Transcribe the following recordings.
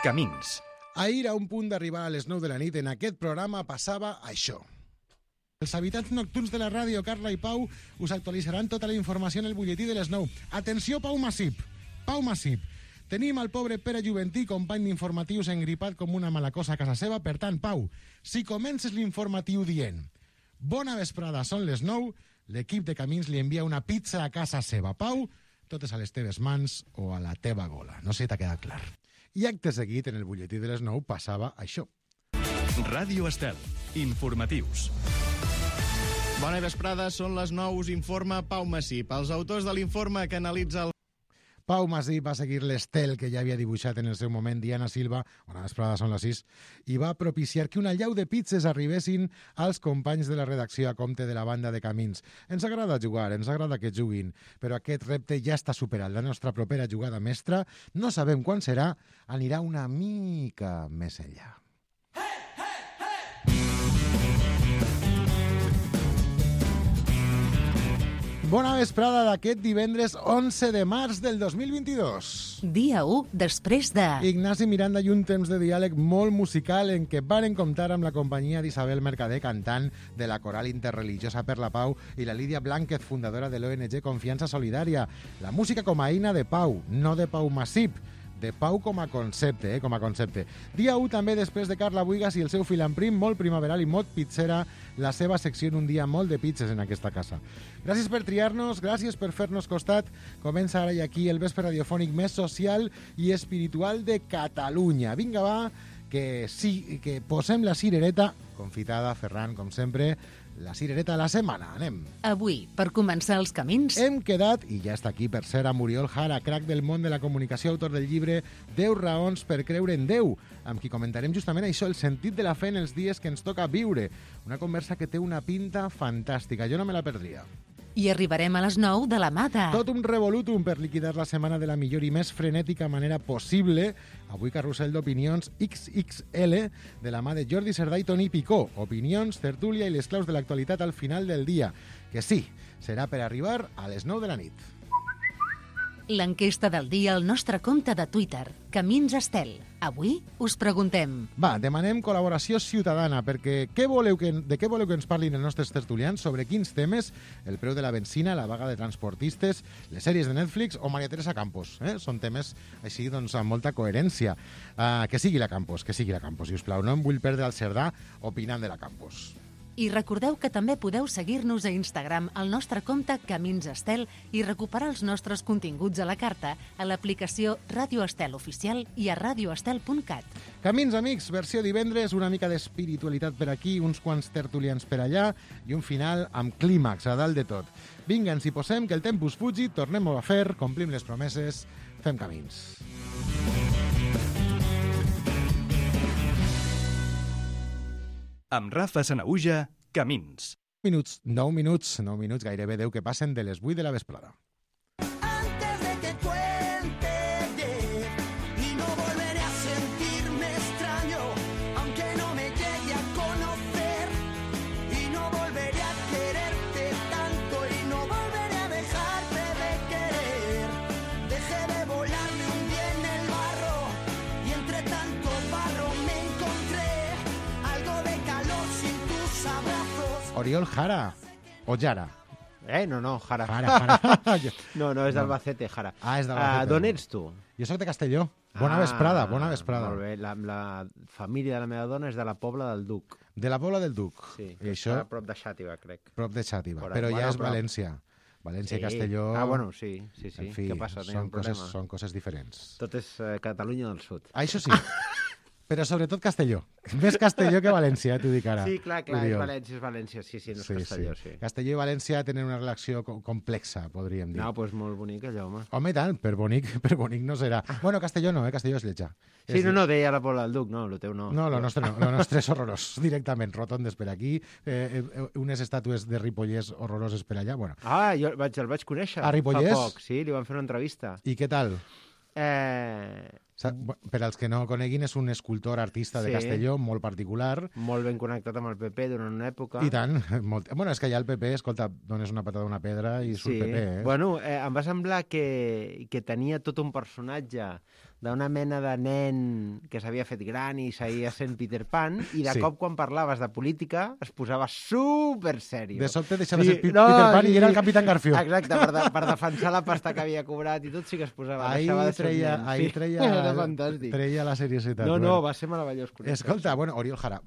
Camins. Ahir, a un punt d'arribar a les 9 de la nit, en aquest programa passava això. Els habitants nocturns de la ràdio, Carla i Pau, us actualitzaran tota la informació en el butlletí de les 9. Atenció, Pau Massip. Pau Massip. Tenim el pobre Pere Juventí, company d'informatius, engripat com una mala cosa a casa seva. Per tant, Pau, si comences l'informatiu dient bona vesprada, són les 9, l'equip de Camins li envia una pizza a casa seva. Pau, totes a les teves mans o a la teva gola. No sé si t'ha quedat clar. I acte seguit, en el butlletí de les 9, passava això. Ràdio Estel. Informatius. Bona vesprada, són les 9, us informa Pau Massip. Els autors de l'informe que analitza el... Pau Massip va seguir l'estel que ja havia dibuixat en el seu moment Diana Silva, bona vesprada, són les 6, i va propiciar que una llau de pizzas arribessin als companys de la redacció a compte de la banda de Camins. Ens agrada jugar, ens agrada que juguin, però aquest repte ja està superat. La nostra propera jugada mestra, no sabem quan serà, anirà una mica més enllà. Bona vesprada d'aquest divendres 11 de març del 2022. Dia 1 després de... Ignasi Miranda i un temps de diàleg molt musical en què varen comptar amb la companyia d'Isabel Mercader, cantant de la Coral Interreligiosa per la Pau, i la Lídia Blánquez, fundadora de l'ONG Confiança Solidària. La música com a eina de Pau, no de Pau Massip, de Pau com a concepte, com a concepte. Dia 1 també després de Carla Buigas i el seu fill en prim, molt primaveral i molt pizzera, la seva secció en un dia molt de pizzas en aquesta casa. Gràcies per triar-nos, gràcies per fer-nos costat. Comença ara i aquí el vespre radiofònic més social i espiritual de Catalunya. Vinga, va, que sí, que posem la cirereta, confitada, Ferran, com sempre, la cirereta de la setmana. Anem. Avui, per començar els camins... Hem quedat, i ja està aquí per ser, a Muriol Jara, crac del món de la comunicació, autor del llibre 10 raons per creure en Déu, amb qui comentarem justament això, el sentit de la fe en els dies que ens toca viure. Una conversa que té una pinta fantàstica. Jo no me la perdria. I arribarem a les 9 de la mà de... Tot un revolutum per liquidar la setmana de la millor i més frenètica manera possible. Avui carrusel d'opinions XXL de la mà de Jordi Cerdà i Toni Picó. Opinions, tertúlia i les claus de l'actualitat al final del dia. Que sí, serà per arribar a les 9 de la nit. L'enquesta del dia al nostre compte de Twitter, Camins Estel. Avui us preguntem... Va, demanem col·laboració ciutadana, perquè de què voleu que ens parlin els nostres tertulians, sobre quins temes, el preu de la benzina, la vaga de transportistes, les sèries de Netflix o Maria Teresa Campos. Són temes així, doncs, amb molta coherència. Que sigui la Campos, si us plau. No em vull perdre el Cerdà opinant de la Campos. I recordeu que també podeu seguir-nos a Instagram al nostre compte Camins Estel i recuperar els nostres continguts a la carta a l'aplicació Ràdio Estel Oficial i a radioestel.cat. Camins, amics, versió divendres, una mica d'espiritualitat per aquí, uns quants tertulians per allà i un final amb clímax a dalt de tot. Vinga, ens hi posem, que el tempus fugi, tornem-ho a fer, complim les promeses, fem camins. Amb Rafa Sanaüja, Camins. 9 minuts, gairebé 10 que passen de les 8 de la vesprada. Antes de que cuente 10 y no volveré a sentirme extraño, aunque no me llegue a conocer, y no volveré a quererte tanto y no volveré a dejarte de querer. Dejé de volar, me hundí en el barro y entre tanto barro me encontré algo de calor sin tus abrazos. Oriol Jara, o Jara. No, Jara. Jara. No, és d'Albacete, Jara. És d'Albacete. D'on ets tu? Jo soc de Castelló. Bona vesprada. Molt bé, la família de la meva dona és de la Pobla del Duc. De la Pobla del Duc. Sí, I això... a prop de Xàtiva, crec. Prop de Xàtiva, Por però ahí, ja és bueno, València. València i Castelló... bueno, sí. En fi, Què passa? No hi ha un problema. són coses diferents. Tot és Catalunya del Sud. Això sí. Però sobretot Castelló. Més Castelló que València, t'ho dic ara. Sí, clar, és València. Sí, no és Castelló, sí. Castelló i València tenen una relació complexa, podríem dir. No, doncs molt bonic allò, home. Home, tant, per bonic no serà. Bueno, Castelló no, Castelló és lletja. Sí, no, deia la Pobla del Duc, no, el teu no. No, el nostre no, el nostre és horrorós, directament, rotondes per aquí, unes estàtues de Ripollès horroroses per allà, bueno. Jo el vaig conèixer a Ripollès? Fa poc, sí, li van fer una entrevista. I què tal? Per als que no coneguin, és un escultor artista de Sí. Castelló molt particular. Molt ben connectat amb el PP durant una època. I tant. Bueno, és que allà el PP, escolta, dones una patada a una pedra i surt PP, eh? Bueno, em va semblar que tenia tot un personatge d'una mena de nen que s'havia fet gran i seguia sent Peter Pan, i de Sí. cop quan parlaves de política es posava super sèrio. De sobte deixava ser Peter Pan i era el Capitán Garfió. Exacte, per defensar la pasta que havia cobrat i tot sí que es posava. Ahí deixava de ser treia, nen. ahí Sí. treia, Era fantàstic. treia la seriositat. No, Bueno. va ser meravellós. Escolta, bueno, Oriol Jara,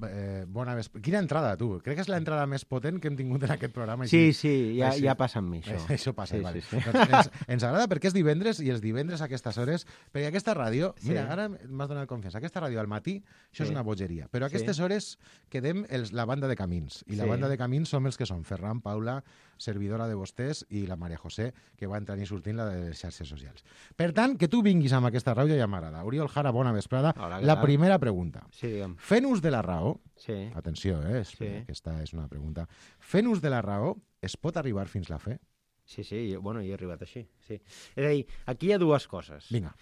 bona vespre. Quina entrada, tu? Crec que és l'entrada més potent que hem tingut en aquest programa. Sí, Així- ja, així- ja passa amb mi, això. Això passa, Sí, vale. sí, sí. Doncs ens agrada perquè és divendres i els divendres a aquestes hores, perquè aquesta ràdio, Sí. mira, ara m'has donat confiança, aquesta ràdio al matí, això és Sí. una bogeria, però a aquestes hores quedem la banda de Camins, i la Sí. banda de Camins som els que són Ferran, Paula, servidora de vostès, i la Maria José, que va entrant i sortint la de les xarxes socials. Per tant, que tu vinguis amb aquesta ràdio ja m'agrada. Oriol Jara, bona vesprada. Hola, què La tal? primera pregunta. Sí, digue'm. Fent ús de la raó, Sí. atenció, Sí. aquesta és una pregunta, fent ús de la raó, es pot arribar fins la fe? Sí, jo he arribat així. Sí. És a dir, aquí hi ha dues coses. Vinga.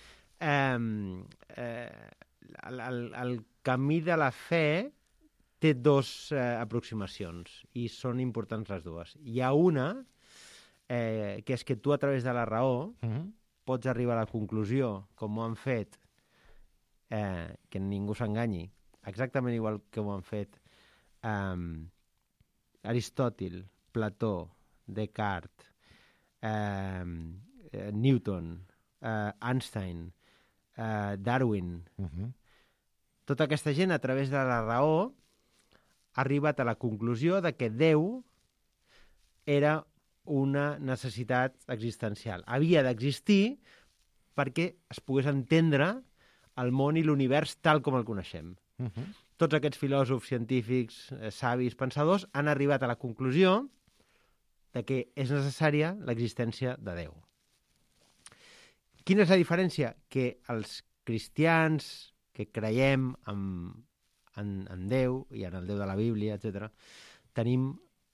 El camí de la fe té dues aproximacions i són importants les dues. Hi ha una, que és que tu a través de la raó pots arribar a la conclusió, com ho han fet, que ningú s'enganyi, exactament igual que ho han fet Aristòtil, Plató, Descartes, Newton, Einstein, Darwin. Tota aquesta gent, a través de la raó, ha arribat a la conclusió de que Déu era una necessitat existencial. Havia d'existir perquè es pogués entendre el món i l'univers tal com el coneixem. Tots aquests filòsofs, científics, savis, pensadors han arribat a la conclusió de que és necessària l'existència de Déu. Quina és la diferència? Que els cristians que creiem en Déu i en el Déu de la Bíblia, etc., tenim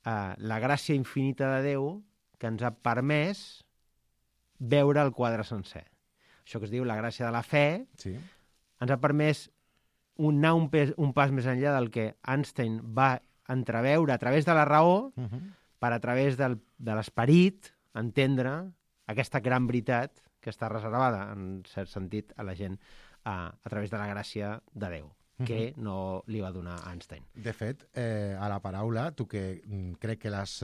la gràcia infinita de Déu que ens ha permès veure el quadre sencer. Això que es diu la gràcia de la fe, Sí. ens ha permès anar un pas més enllà del que Einstein va entreveure a través de la raó, per a través de l'esperit entendre aquesta gran veritat que està reservada, en cert sentit, a la gent a través de la gràcia de Déu, que no li va donar Einstein. De fet, a la paraula, tu que crec que l'has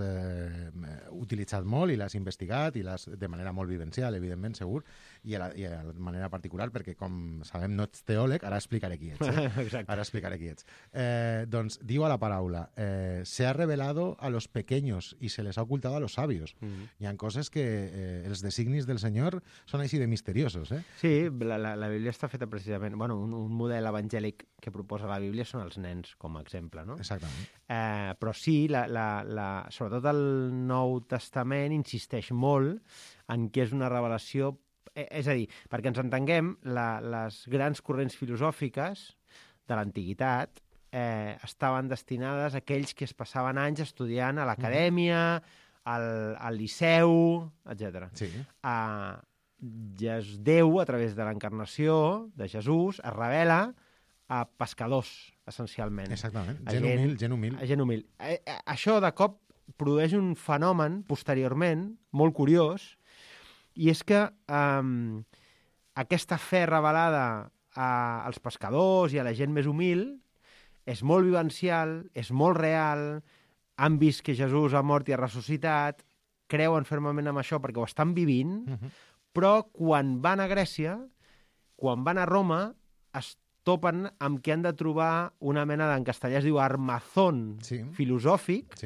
utilitzat molt i l'has investigat i l'has de manera molt vivencial, evidentment, segur, i a la manera particular, perquè com sabem no ets teòleg, ara explicaré qui ets. Exacte. Ara explicaré qui ets. Doncs diu a la paraula, se ha revelado a los pequeños y se les ha ocultado a los sabios. Hi ha coses que els designis del Senyor són així de misteriosos, eh? Sí, la Bíblia està feta precisament... Bueno, un model evangèlic que proposa la Bíblia són els nens, com a exemple, no? Exactament. Però sí, sobretot el Nou Testament insisteix molt en que és una revelació... És a dir, perquè ens entenguem, les grans corrents filosòfiques de l'antiguitat estaven destinades a aquells que es passaven anys estudiant a l'acadèmia, al liceu, etc. Sí. Déu, a través de l'encarnació de Jesús, es revela a pescadors, essencialment. Exactament. A Gent humil. A gent humil. Això, de cop, produeix un fenomen, posteriorment, molt curiós, i és que aquesta fe revelada als pescadors i a la gent més humil és molt vivencial, és molt real, han vist que Jesús ha mort i ha ressuscitat, creuen fermament en això perquè ho estan vivint, però quan van a Grècia, quan van a Roma, es topen amb que han de trobar una mena en castellà es diu armazón filosòfic,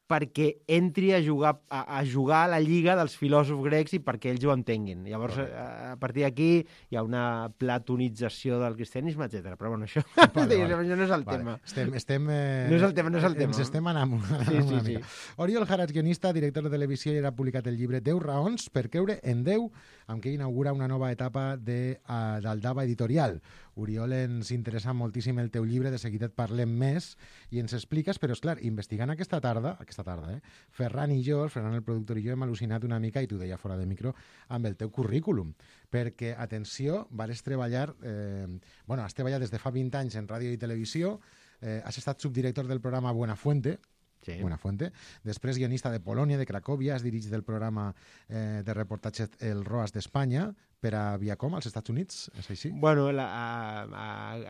perquè entri a jugar a la lliga dels filòsofs grecs i perquè ells ho entenguin. Llavors, a partir d'aquí hi ha una platonització del cristianisme, etc. Però bueno, això no és el tema. No és el tema. Ens estem anant una mica. Oriol Jara, guionista, director de televisió, i ara ha publicat el llibre 10 raons per creure en Déu, amb què inaugura una nova etapa d'Aldaba Editorial. Oriol, ens interessa moltíssim el teu llibre, de seguida et parlem més i ens expliques, però és clar, investigant aquesta tarda aquesta tarda. Ferran i jo, Ferran el productor i jo, hem al·lucinat una mica, i t'ho deia fora de micro, amb el teu currículum. Perquè, atenció, has treballat des de fa 20 anys en ràdio i televisió, has estat subdirector del programa Buenafuente, Sí. Buenafuente. Després, guionista de Polònia, de Cracòvia, has dirigit el programa de reportatge El Roas d'Espanya per a Viacom, als Estats Units, és així? Bueno,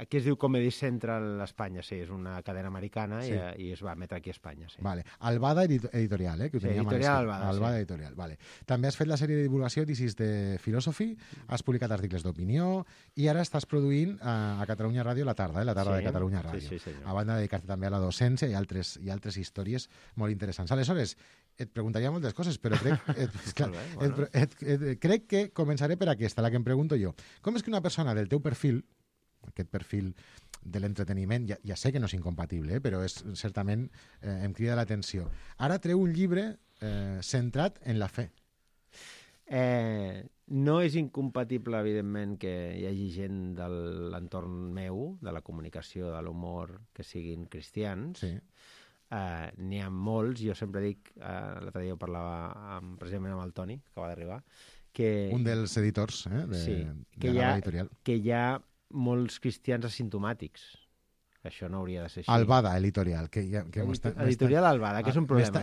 aquí es diu Comedy Central Espanya, sí, és una cadena americana i es va emetre aquí a Espanya, sí. Vale. Albada Editorial, que ho teníem Editorial escrit. Albada, Albada sí. Editorial, vale. També has fet la sèrie de divulgació This is the Philosophy, has publicat articles d'opinió i ara estàs produint a Catalunya Ràdio la tarda de Catalunya Ràdio. Sí, senyor. A banda de dedicar-te també a la docència i altres històries molt interessants. Aleshores, et preguntaria moltes coses, però crec que començaré per aquesta, la que em pregunto jo. Com és que una persona del teu perfil, aquest perfil de l'entreteniment, ja sé que no és incompatible, però certament em crida l'atenció. Ara treu un llibre centrat en la fe. No és incompatible, evidentment, que hi hagi gent de l'entorn meu, de la comunicació, de l'humor, que siguin cristians. Sí. N'hi ha molts, jo sempre dic, l'altre dia ho parlava precisament amb el Toni, que acaba d'arribar, que... Un dels editors de l'editorial. Que hi ha molts cristians asimptomàtics. Això no hauria de ser així. Albada Editorial. Editorial Albada, que és un problema.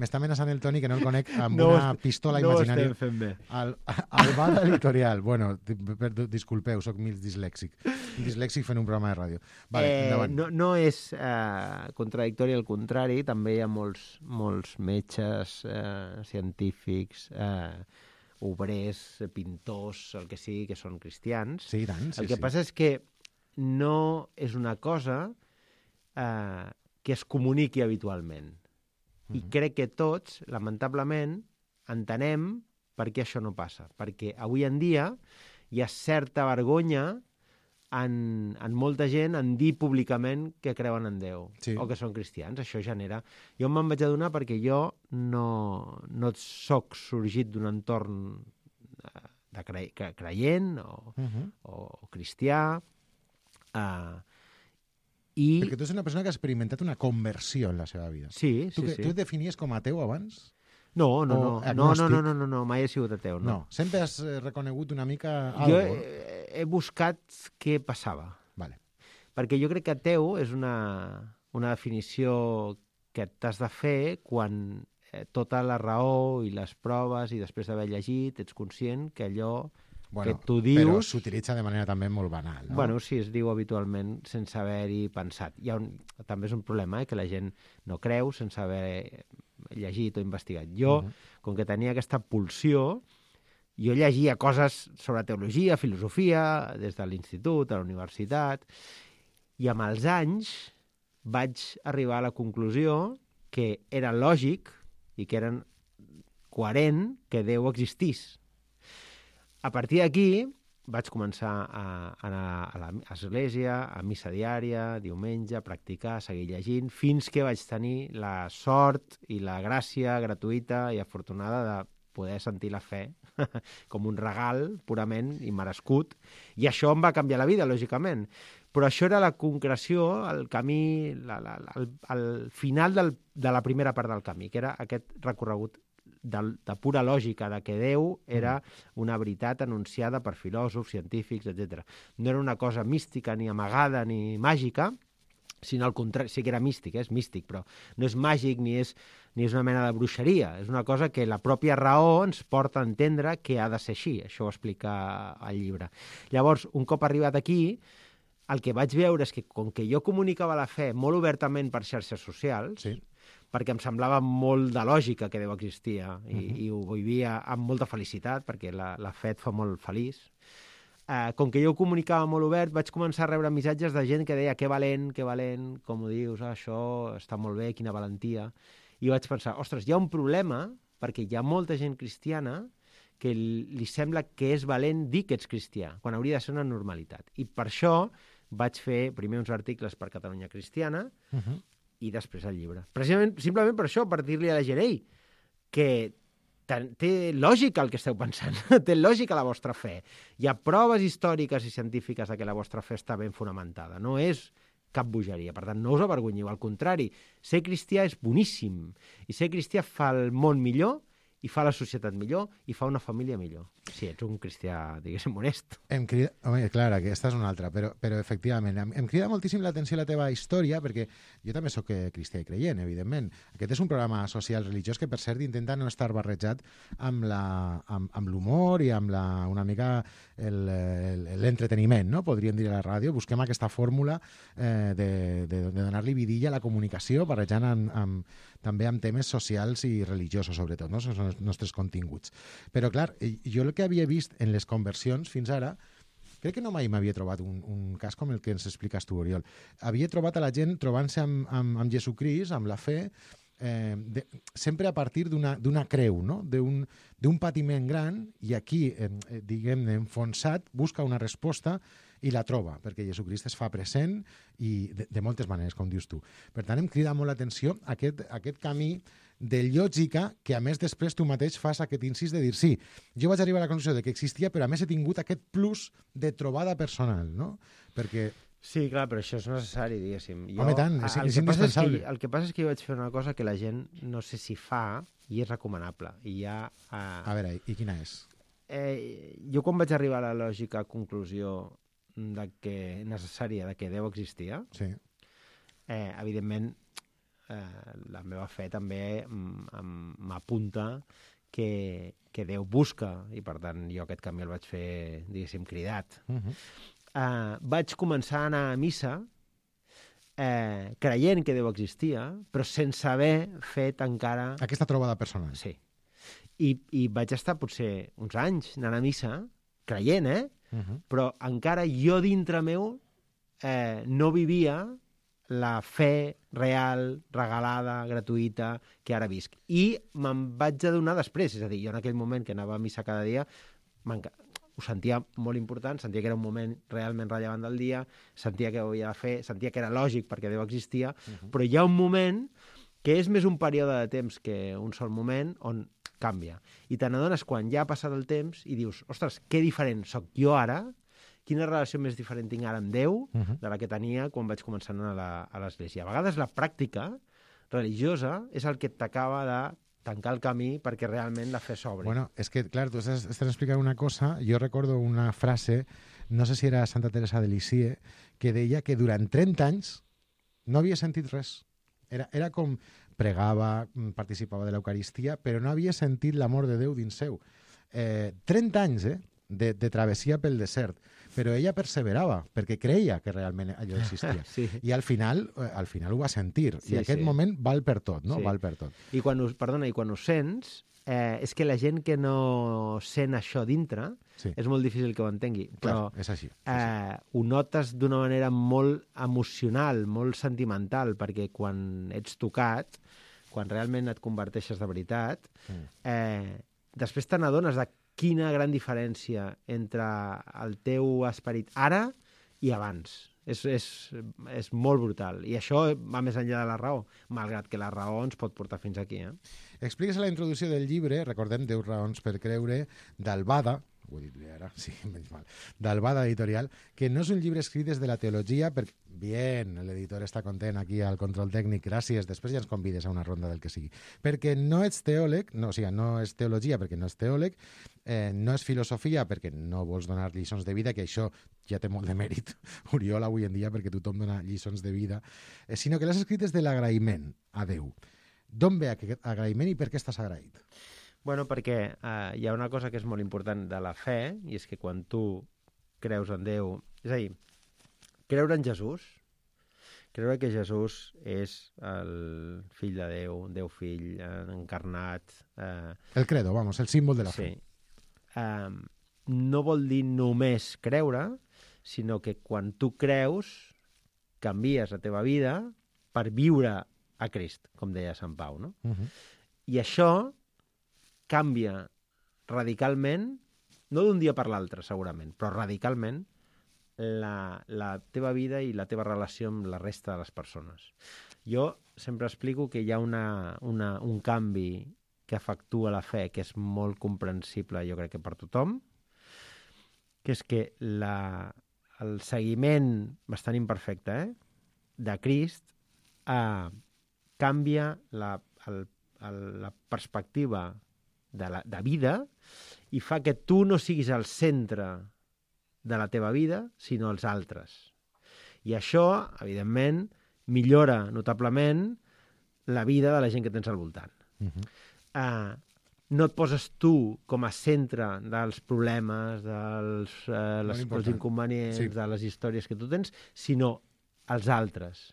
M'està amenaçant el Toni, que no el conec, amb una pistola imaginària. No ho estem fent bé. Albada Editorial. Bueno, disculpeu, soc mig dislèxic. Dislèxic fent un programa de ràdio. Vale, endavant. No és contradictori, al contrari. També hi ha molts metges, científics, obrers, pintors, el que sigui, que són cristians. Sí, tant. El que passa és que no és una cosa que es comuniqui habitualment. I crec que tots, lamentablement, entenem per què això no passa. Perquè avui en dia hi ha certa vergonya en molta gent en dir públicament que creuen en Déu o que són cristians. Això genera... Jo me'n vaig adonar perquè jo no soc sorgit d'un entorn creient o cristià, perquè tu ets una persona que ha experimentat una conversió en la seva vida. Sí. Tu et definies com a ateu abans? No, mai he sigut ateu. No. Sempre has reconegut una mica algo? Jo he buscat què passava. Vale. Perquè jo crec que ateu és una definició que t'has de fer quan tota la raó i les proves i després d'haver llegit ets conscient que allò que tu dius... Però s'utilitza de manera també molt banal, no? Bueno, sí, es diu habitualment sense haver-hi pensat. També és un problema, que la gent no creu sense haver llegit o investigat. Jo, com que tenia aquesta pulsió, jo llegia coses sobre teologia, filosofia, des de l'institut, a la universitat, i amb els anys vaig arribar a la conclusió que era lògic i que era coherent que Déu existís. A partir d'aquí vaig començar a anar a l'església, a missa diària, diumenge, a practicar, seguir llegint, fins que vaig tenir la sort i la gràcia gratuïta i afortunada de poder sentir la fe com un regal purament immerescut. I això em va canviar la vida, lògicament. Però això era la concreció, el camí, el final de la primera part del camí, que era aquest recorregut de pura lògica, de que Déu era una veritat anunciada per filòsofs, científics, etc. No era una cosa mística, ni amagada, ni màgica, sinó al contrari, sí que era místic, és místic, però no és màgic ni és una mena de bruixeria, és una cosa que la pròpia raó ens porta a entendre que ha de ser així, això ho explica el llibre. Llavors, un cop arribat aquí, el que vaig veure és que, com que jo comunicava la fe molt obertament per xarxes socials, perquè em semblava molt de lògica que Déu existia i ho vivia amb molta felicitat, perquè la fe et fa molt feliç. Com que jo ho comunicava molt obert, vaig començar a rebre missatges de gent que deia que valent, com ho dius, això està molt bé, quina valentia. I vaig pensar, ostres, hi ha un problema, perquè hi ha molta gent cristiana que li sembla que és valent dir que ets cristià, quan hauria de ser una normalitat. I per això vaig fer primer uns articles per Catalunya Cristiana, i després el llibre. Precisament, simplement per això, per dir-li a la gent, que té lògica el que esteu pensant, té lògica la vostra fe. Hi ha proves històriques i científiques de que la vostra fe està ben fonamentada. No és cap bogeria. Per tant, no us avergonyiu, al contrari, ser cristià és boníssim, i ser cristià fa el món millor, i fa la societat millor, i fa una família millor. Si ets un cristià, diguéssim, honest. Home, clar, aquesta és una altra, però efectivament, em crida moltíssim l'atenció la teva història, perquè jo també sóc cristià i creient, evidentment. Aquest és un programa social religiós que, per cert, intenta no estar barrejat amb l'humor i amb una mica l'entreteniment, no? Podríem dir a la ràdio. Busquem aquesta fòrmula de donar-li vidilla a la comunicació, barrejant també amb temes socials i religiosos, sobretot, no? Són els nostres continguts. Però, clar, jo el que havia vist en les conversions fins ara, crec que no mai m'havia trobat un cas com el que ens expliques tu, Oriol. Havia trobat a la gent trobant-se amb Jesucrist, amb la fe, sempre a partir d'una creu, no? d'un patiment gran, i aquí, diguem-ne, enfonsat, busca una resposta i la troba, perquè Jesucrist es fa present i de moltes maneres, com dius tu. Per tant, em crida molt l'atenció aquest camí de lògica que, a més, després tu mateix fas aquest incís de dir sí, jo vaig arribar a la conclusió de que existia, però a més he tingut aquest plus de trobada personal, no? Perquè... Sí, clar, però això és necessari, diguéssim. Home, tant, és indispensable. El que passa és que jo vaig fer una cosa que la gent no sé si fa i és recomanable. I ja, a veure, i quina és? Jo quan vaig arribar a la lògica conclusió necessària de que Déu existia, sí. Evidentment, la meva fe també m'apunta que Déu busca, i per tant jo aquest camí el vaig fer, diguéssim, cridat. Vaig començar a anar a missa creient que Déu existia, però sense haver fet encara... Aquesta trobada personal. Sí. I vaig estar potser uns anys anant a missa, creient, però encara jo dintre meu no vivia la fe real, regalada, gratuïta, que ara visc. I me'n vaig adonar després, és a dir, jo en aquell moment que anava a missa cada dia, ho sentia molt important, sentia que era un moment realment rellevant del dia, sentia que ho havia de fer, sentia que era lògic perquè Déu existia, però hi ha un moment que és més un període de temps que un sol moment on canvia. I te n'adones quan ja ha passat el temps i dius, ostres, que diferent soc jo ara, quina relació més diferent tinc ara amb Déu de la que tenia quan vaig començar a anar a l'església. A vegades la pràctica religiosa és el que t'acaba de tancar el camí perquè realment la fe s'obri. Bueno, és que, clar, tu estàs explicant una cosa, jo recordo una frase, no sé si era Santa Teresa de Lisieux, que deia que durant 30 anys no havia sentit res. Era com pregava, participava de l'Eucaristia, però no havia sentit l'amor de Déu dins seu. 30 anys, de travessia pel desert, però ella perseverava perquè creia que realment allò existia. Sí. I al final ho va sentir. Sí, I aquest moment val per tot, no? Sí. Val per tot. I quan ho sents, és que la gent que no sent això dintre és molt difícil que ho entengui. Però és així. Ho notes d'una manera molt emocional, molt sentimental, perquè quan ets tocat, quan realment et converteixes de veritat, després te n'adones de quina gran diferència entre el teu esperit ara i abans. És molt brutal. I això va més enllà de la raó, malgrat que la raó ens pot portar fins aquí. Expliques a la introducció del llibre, recordem 10 raons per creure, d'Albada, ho he dit bé ara, sí, menys mal, d'Albada Editorial, que no és un llibre escrit des de la teologia, perquè, bien, l'editor està content aquí al control tècnic, gràcies, després ja ens convides a una ronda del que sigui, perquè no ets teòleg, no és teologia perquè no és teòleg, no és filosofia perquè no vols donar lliçons de vida, que això ja té molt de mèrit, Oriol, avui en dia, perquè tothom dona lliçons de vida, sinó que l'has escrit des de l'agraïment a Déu. D'on ve aquest agraïment i per què estàs agraït? Bueno, perquè hi ha una cosa que és molt important de la fe, i és que quan tu creus en Déu... És a dir, creure en Jesús, creure que Jesús és el fill de Déu, Déu fill, encarnat... El credo, vamos, el símbol de la fe. No vol dir només creure, sinó que quan tu creus, canvies la teva vida per viure a Crist, com deia Sant Pau, no? I això canvia radicalment, no d'un dia per l'altre, segurament, però radicalment, la teva vida i la teva relació amb la resta de les persones. Jo sempre explico que hi ha un canvi que efectua la fe, que és molt comprensible, jo crec que per tothom, que és que el seguiment bastant imperfecte, de Crist canvia la perspectiva de vida i fa que tu no siguis el centre de la teva vida, sinó els altres. I això, evidentment, millora notablement la vida de la gent que tens al voltant. No et poses tu com a centre dels problemes, dels inconvenients, de les històries que tu tens, sinó els altres.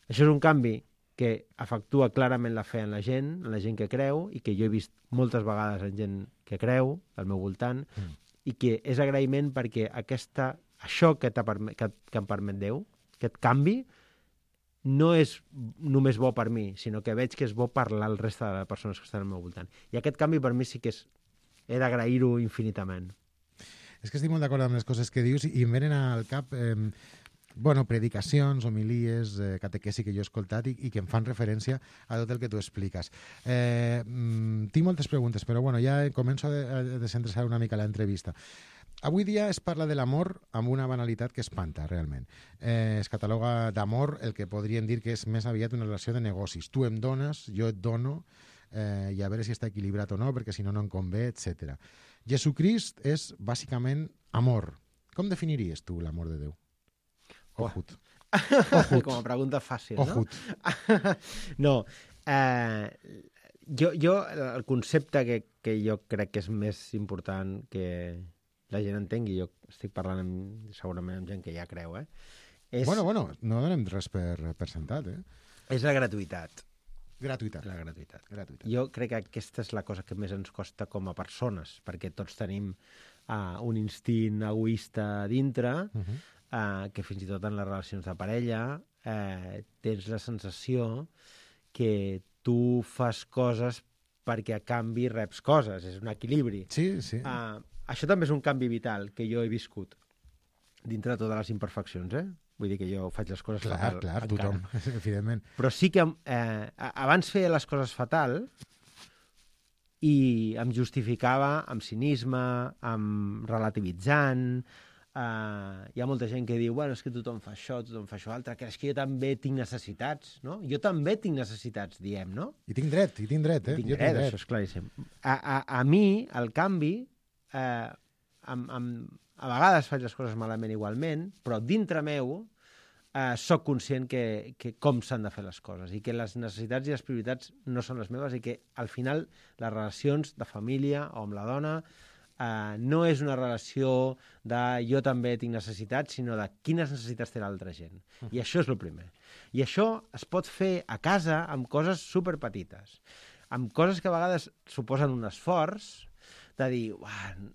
Això és un canvi que afectua clarament la fe en la gent que creu, i que jo he vist moltes vegades en gent que creu, al meu voltant, i que és agraïment perquè això que em permet Déu, aquest canvi, no és només bo per mi, sinó que veig que és bo per la resta de les persones que estan al meu voltant. I aquest canvi per mi sí que he d'agrair-ho infinitament. És que estic molt d'acord amb les coses que dius i em venen al cap predicacions, homilies, catequesi que jo he escoltat i que em fan referència a tot el que tu expliques. Tinc moltes preguntes, però ja començo a descentralitzar una mica l'entrevista. Avui dia es parla de l'amor amb una banalitat que espanta, realment. Es cataloga d'amor el que podríem dir que és més aviat una relació de negocis. Tu em dones, jo et dono, i a veure si està equilibrat o no, perquè si no, no em convé, etc. Jesucrist és, bàsicament, amor. Com definiries tu l'amor de Déu? Ojut. Com a pregunta fàcil, no? Ojut. No. Jo el concepte que jo crec que és més important que la gent entengui, jo estic parlant segurament amb gent que ja creu, és... Bueno, no donem res per sentat, És la gratuïtat. Gratuïtat. La gratuïtat. Jo crec que aquesta és la cosa que més ens costa com a persones, perquè tots tenim un instint egoista dintre, que fins i tot en les relacions de parella tens la sensació que tu fas coses perquè a canvi reps coses, és un equilibri. Sí. Això també és un canvi vital que jo he viscut dintre de totes les imperfeccions, Vull dir que jo faig les coses fatal. Clar, tothom, evidentment. Però sí que abans feia les coses fatal i em justificava amb cinisme, amb relativitzant. Hi ha molta gent que diu, és que tothom fa això altre, que és que jo també tinc necessitats, no? Jo també tinc necessitats, diem, no? I tinc dret, Tinc dret, això és claríssim. A mi, el canvi, a vegades faig les coses malament igualment, però dintre meu sóc conscient que com s'han de fer les coses i que les necessitats i les prioritats no són les meves i que al final les relacions de família o amb la dona no és una relació de jo també tinc necessitats, sinó de quines necessitats té l'altra gent. I això és el primer. I això es pot fer a casa amb coses superpetites, amb coses que a vegades suposen un esforç de dir,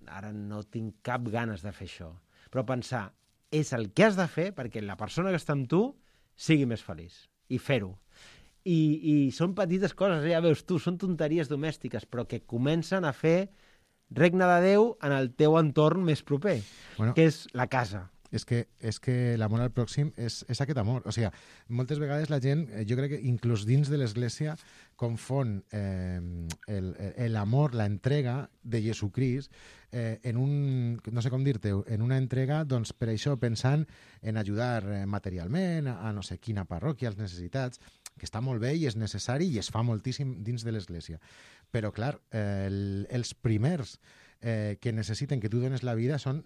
ara no tinc cap ganes de fer això. Però pensar, és el que has de fer perquè la persona que està amb tu sigui més feliç. I fer-ho. I són petites coses, ja veus tu, són tonteries domèstiques, però que comencen a fer regne de Déu en el teu entorn més proper, que és la casa. És que l'amor al pròxim és aquest amor. O sigui, moltes vegades la gent, jo crec que inclús dins de l'Església, confon l'amor, la entrega de Jesucrist en no sé com dir-te, en una entrega, doncs, per això, pensant en ajudar materialment a no sé quina parròquia, als necessitats, que està molt bé i és necessari i es fa moltíssim dins de l'Església. Però, clar, els primers que necessiten que tu dones la vida són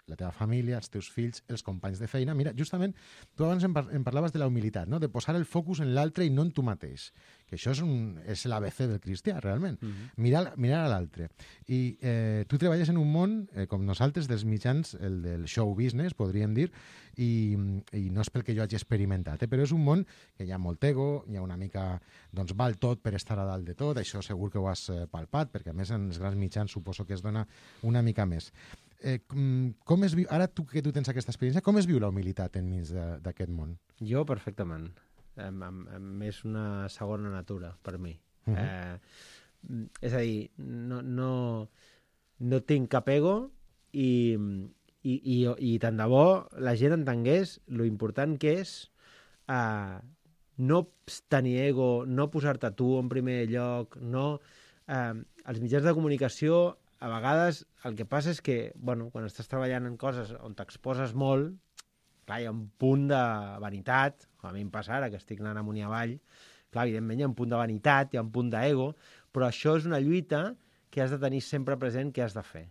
la teva família, els teus fills, els companys de feina. Mira, justament, tu abans em parlaves de la humilitat, no? De posar el focus en l'altre i no en tu mateix. Que això és l'ABC del cristià, realment. Mirar a l'altre. I tu treballes en un món, com nosaltres, dels mitjans, el del show business, podríem dir, i no és pel que jo hagi experimentat, però és un món que hi ha molt ego, hi ha una mica, doncs val tot per estar a dalt de tot, això segur que ho has palpat, perquè a més en els grans mitjans suposo que es dona una mica més. Com es viu, ara que tu tens aquesta experiència, com es viu la humilitat enmig d'aquest món? Jo perfectament. És una segona natura per mi. És a dir, no tinc cap ego i tant de bo la gent entengués lo important que és no tenir ego, no posar-te tu en primer lloc, els mitjans de comunicació a vegades el que passa és que, quan estàs treballant en coses on t'exposes molt, clar, hi ha un punt de vanitat, a mi em passa ara que estic anant amunt i avall, clar, evidentment hi ha un punt de vanitat, hi ha un punt d'ego, però això és una lluita que has de tenir sempre present què has de fer.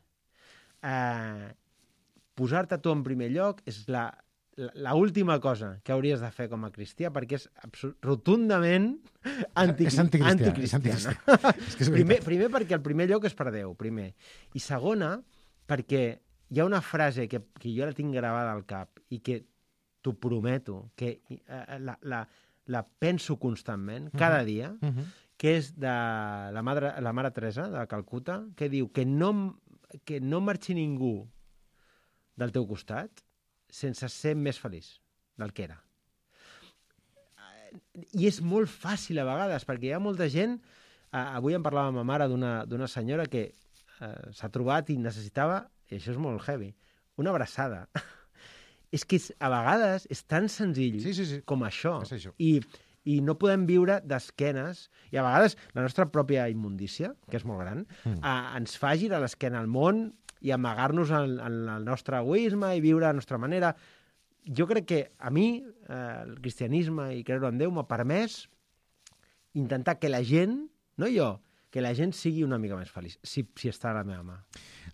Posar-te tu en primer lloc és l'última cosa que hauries de fer com a cristià, perquè és rotundament anticristiana. Primer perquè el primer lloc és per Déu, primer. I segona, perquè hi ha una frase que jo la tinc gravada al cap i que t'ho prometo, que la penso constantment, cada dia, que és de la Mare Teresa de Calcuta, que diu que no marxi ningú del teu costat sense ser més feliç del que era. I és molt fàcil a vegades, perquè hi ha molta gent... Avui em parlava ma mare d'una senyora que s'ha trobat i necessitava, i això és molt heavy, una abraçada. És que a vegades és tan senzill com això. I no podem viure d'esquenes, i a vegades la nostra pròpia immundícia, que és molt gran, ens fa girar l'esquena al món i amagar-nos en el nostre egoisme i viure a la nostra manera. Jo crec que a mi el cristianisme i creure en Déu m'ha permès intentar que la gent, no jo, que la gent sigui una mica més feliç, si està a la meva mà.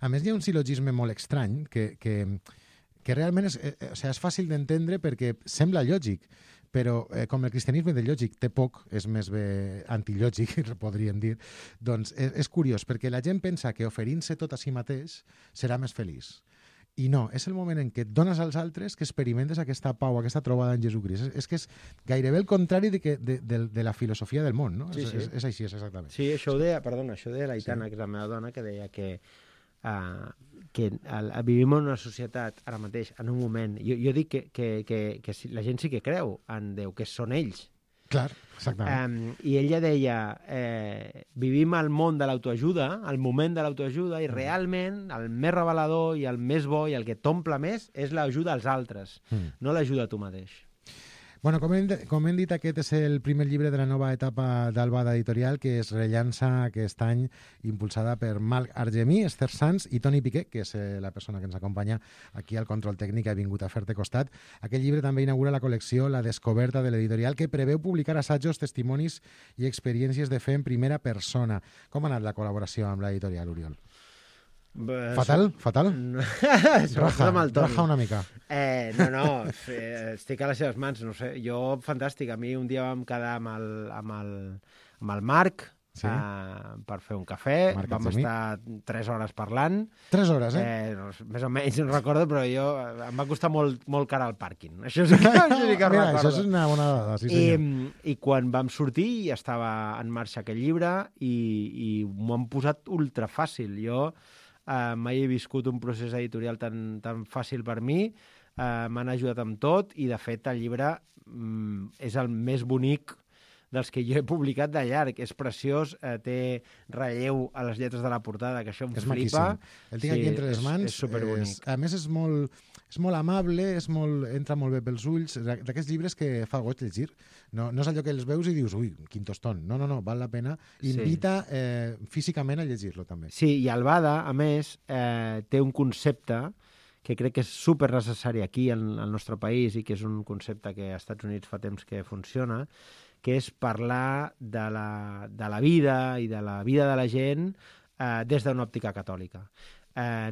A més, hi ha un silogisme molt estrany que realment és fàcil d'entendre perquè sembla lògic, però com el cristianisme de lògic té poc, és més bé antilògic, podríem dir, doncs és curiós, perquè la gent pensa que oferint-se tot a si mateix serà més feliç. I no, és el moment en què et dones als altres que experimentes aquesta pau, aquesta trobada en Jesucrist. És que és gairebé el contrari de la filosofia del món, no? Sí. És així, és exactament. Sí, això ho deia l'Aitana, que és la meva dona, que deia que vivim en una societat ara mateix, en un moment... Jo dic que la gent sí que creu en Déu, que són ells. Clar, exactament. I ella deia, vivim al món de l'autoajuda, al moment de l'autoajuda, i realment el més revelador i el més bo i el que t'omple més és l'ajuda als altres, no l'ajuda a tu mateix. Bueno, com hem dit, aquest és el primer llibre de la nova etapa d'Albada Editorial, que es rellança aquest any, impulsada per Marc Argemí, Esther Sanz i Toni Piqué, que és la persona que ens acompanya aquí al control tècnic, ha vingut a fer-te costat. Aquest llibre també inaugura la col·lecció La Descoberta de l'editorial, que preveu publicar assajos, testimonis i experiències de fe en primera persona. Com ha anat la col·laboració amb l'editorial, Oriol? Fatal? Raja una mica. Estic a les seves mans, no sé. Jo, fantàstic. A mi un dia vam quedar amb el Marc per fer un cafè. Vam estar 3 hores parlant. 3 hores, més o menys, no recordo, però em va costar molt car al pàrquing. Això sí que recordo. Això és una bona dada, sí senyor. I quan vam sortir ja estava en marxa aquest llibre i m'ho han posat ultra fàcil. Jo mai he viscut un procés editorial tan fàcil per mi, m'han ajudat amb tot i, de fet, el llibre és el més bonic dels que jo he publicat de llarg. És preciós, té relleu a les lletres de la portada, que això em flipa. Maquíssim. El tinc aquí entre les mans. És superbonic. A més, és molt amable, entra molt bé pels ulls, d'aquests llibres que fa goig llegir. No és allò que els veus i dius, ui, quin tostón. No, val la pena. Invita físicament a llegir-lo, també. Sí, i Albada, a més, té un concepte que crec que és super necessari aquí, al nostre país, i que és un concepte que als Estats Units fa temps que funciona, que és parlar de la vida i de la vida de la gent des d'una òptica catòlica.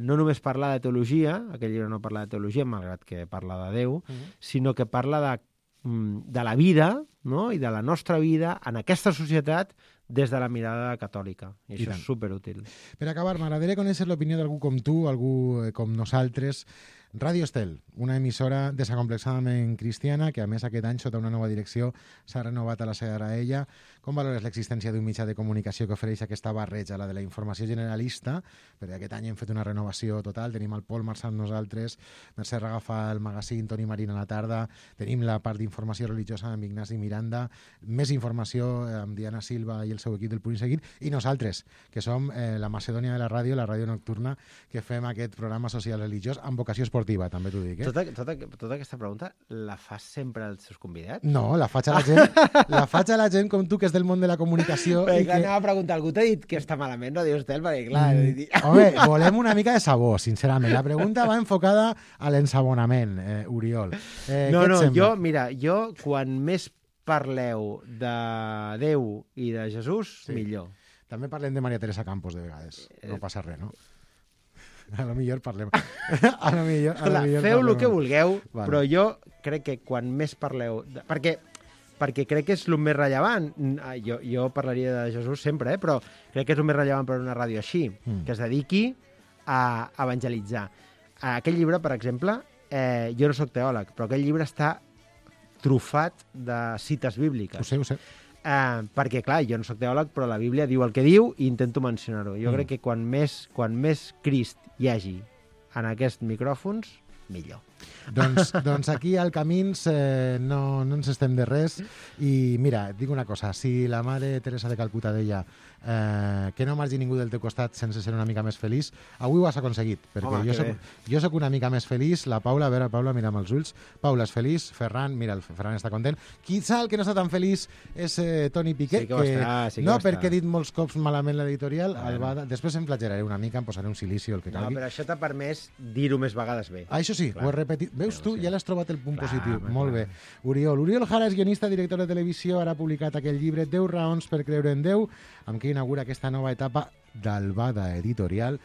No només parlar de teologia, aquell llibre no parla de teologia, malgrat que parla de Déu, sinó que parla de la vida, no? I de la nostra vida en aquesta societat des de la mirada catòlica. I això és superútil. Per acabar, m'agradaria conèixer l'opinió d'algú com tu, algú com nosaltres. Ràdio Estel, una emissora desacomplexadament cristiana que, a més, aquest any, sota una nova direcció, s'ha renovat a la Sagraella. Com valores l'existència d'un mitjà de comunicació que ofereix aquesta barreja, la de la informació generalista? Perquè aquest any hem fet una renovació total. Tenim el Pol Marçal nosaltres, Mercè Ragafa el magazín, Toni Marín a la tarda, tenim la part d'informació religiosa amb Ignasi Miranda, més informació amb Diana Silva i el seu equip del Punt i Seguit, i nosaltres, que som la Macedònia de la ràdio nocturna, que fem aquest programa social religiós amb vocació esportiva esportiva, també t'ho dic. Tota aquesta pregunta la fas sempre als seus convidats? No, la faig a la gent com tu, que és del món de la comunicació. Perquè clar, anava a preguntar, algú t'ha dit que està malament Radio Estel? Perquè clar... Home, volem una mica de sabor, sincerament. La pregunta va enfocada a l'ensabonament, Oriol. No, jo quan més parleu de Déu i de Jesús, millor. També parlem de Maria Teresa Campos de vegades. No passa res, no? A lo millor parlem. Feu el que vulgueu, però jo crec que quan més parleu... Perquè crec que és el més rellevant. Jo parlaria de Jesús sempre, però crec que és el més rellevant per una ràdio així, que es dediqui a evangelitzar. Aquell llibre, per exemple, jo no sóc teòleg, però aquell llibre està trufat de cites bíbliques. Ho sé. Perquè, clar, jo no sóc teòleg, però la Bíblia diu el que diu i intento mencionar-ho. Jo crec que quan més Crist hi hagi en aquests micròfons, millor. Doncs aquí al Camins no ens estem de res i mira, et dic una cosa, si la mare Teresa de Calcuta deia que no margi ningú del teu costat sense ser una mica més feliç, avui ho has aconseguit, perquè jo soc una mica més feliç, la Paula, a veure, Paula, mira'm els ulls, Paula és feliç, Ferran, mira, el Ferran està content, quizà el que no està tan feliç és Toni Piqué, perquè he dit molts cops malament l'editorial, després em flagelaré una mica, em posaré un silici o el que calgui. No, però això t'ha permès dir-ho més vegades bé. Això sí, ho he repetit. Veus tu? Ja l'has trobat el punt positiu. Molt bé. Oriol Jara és guionista, director de televisió, ara ha publicat aquell llibre 10 raons per creure en Déu, amb què inaugura aquesta nova etapa d'Albada Editorial.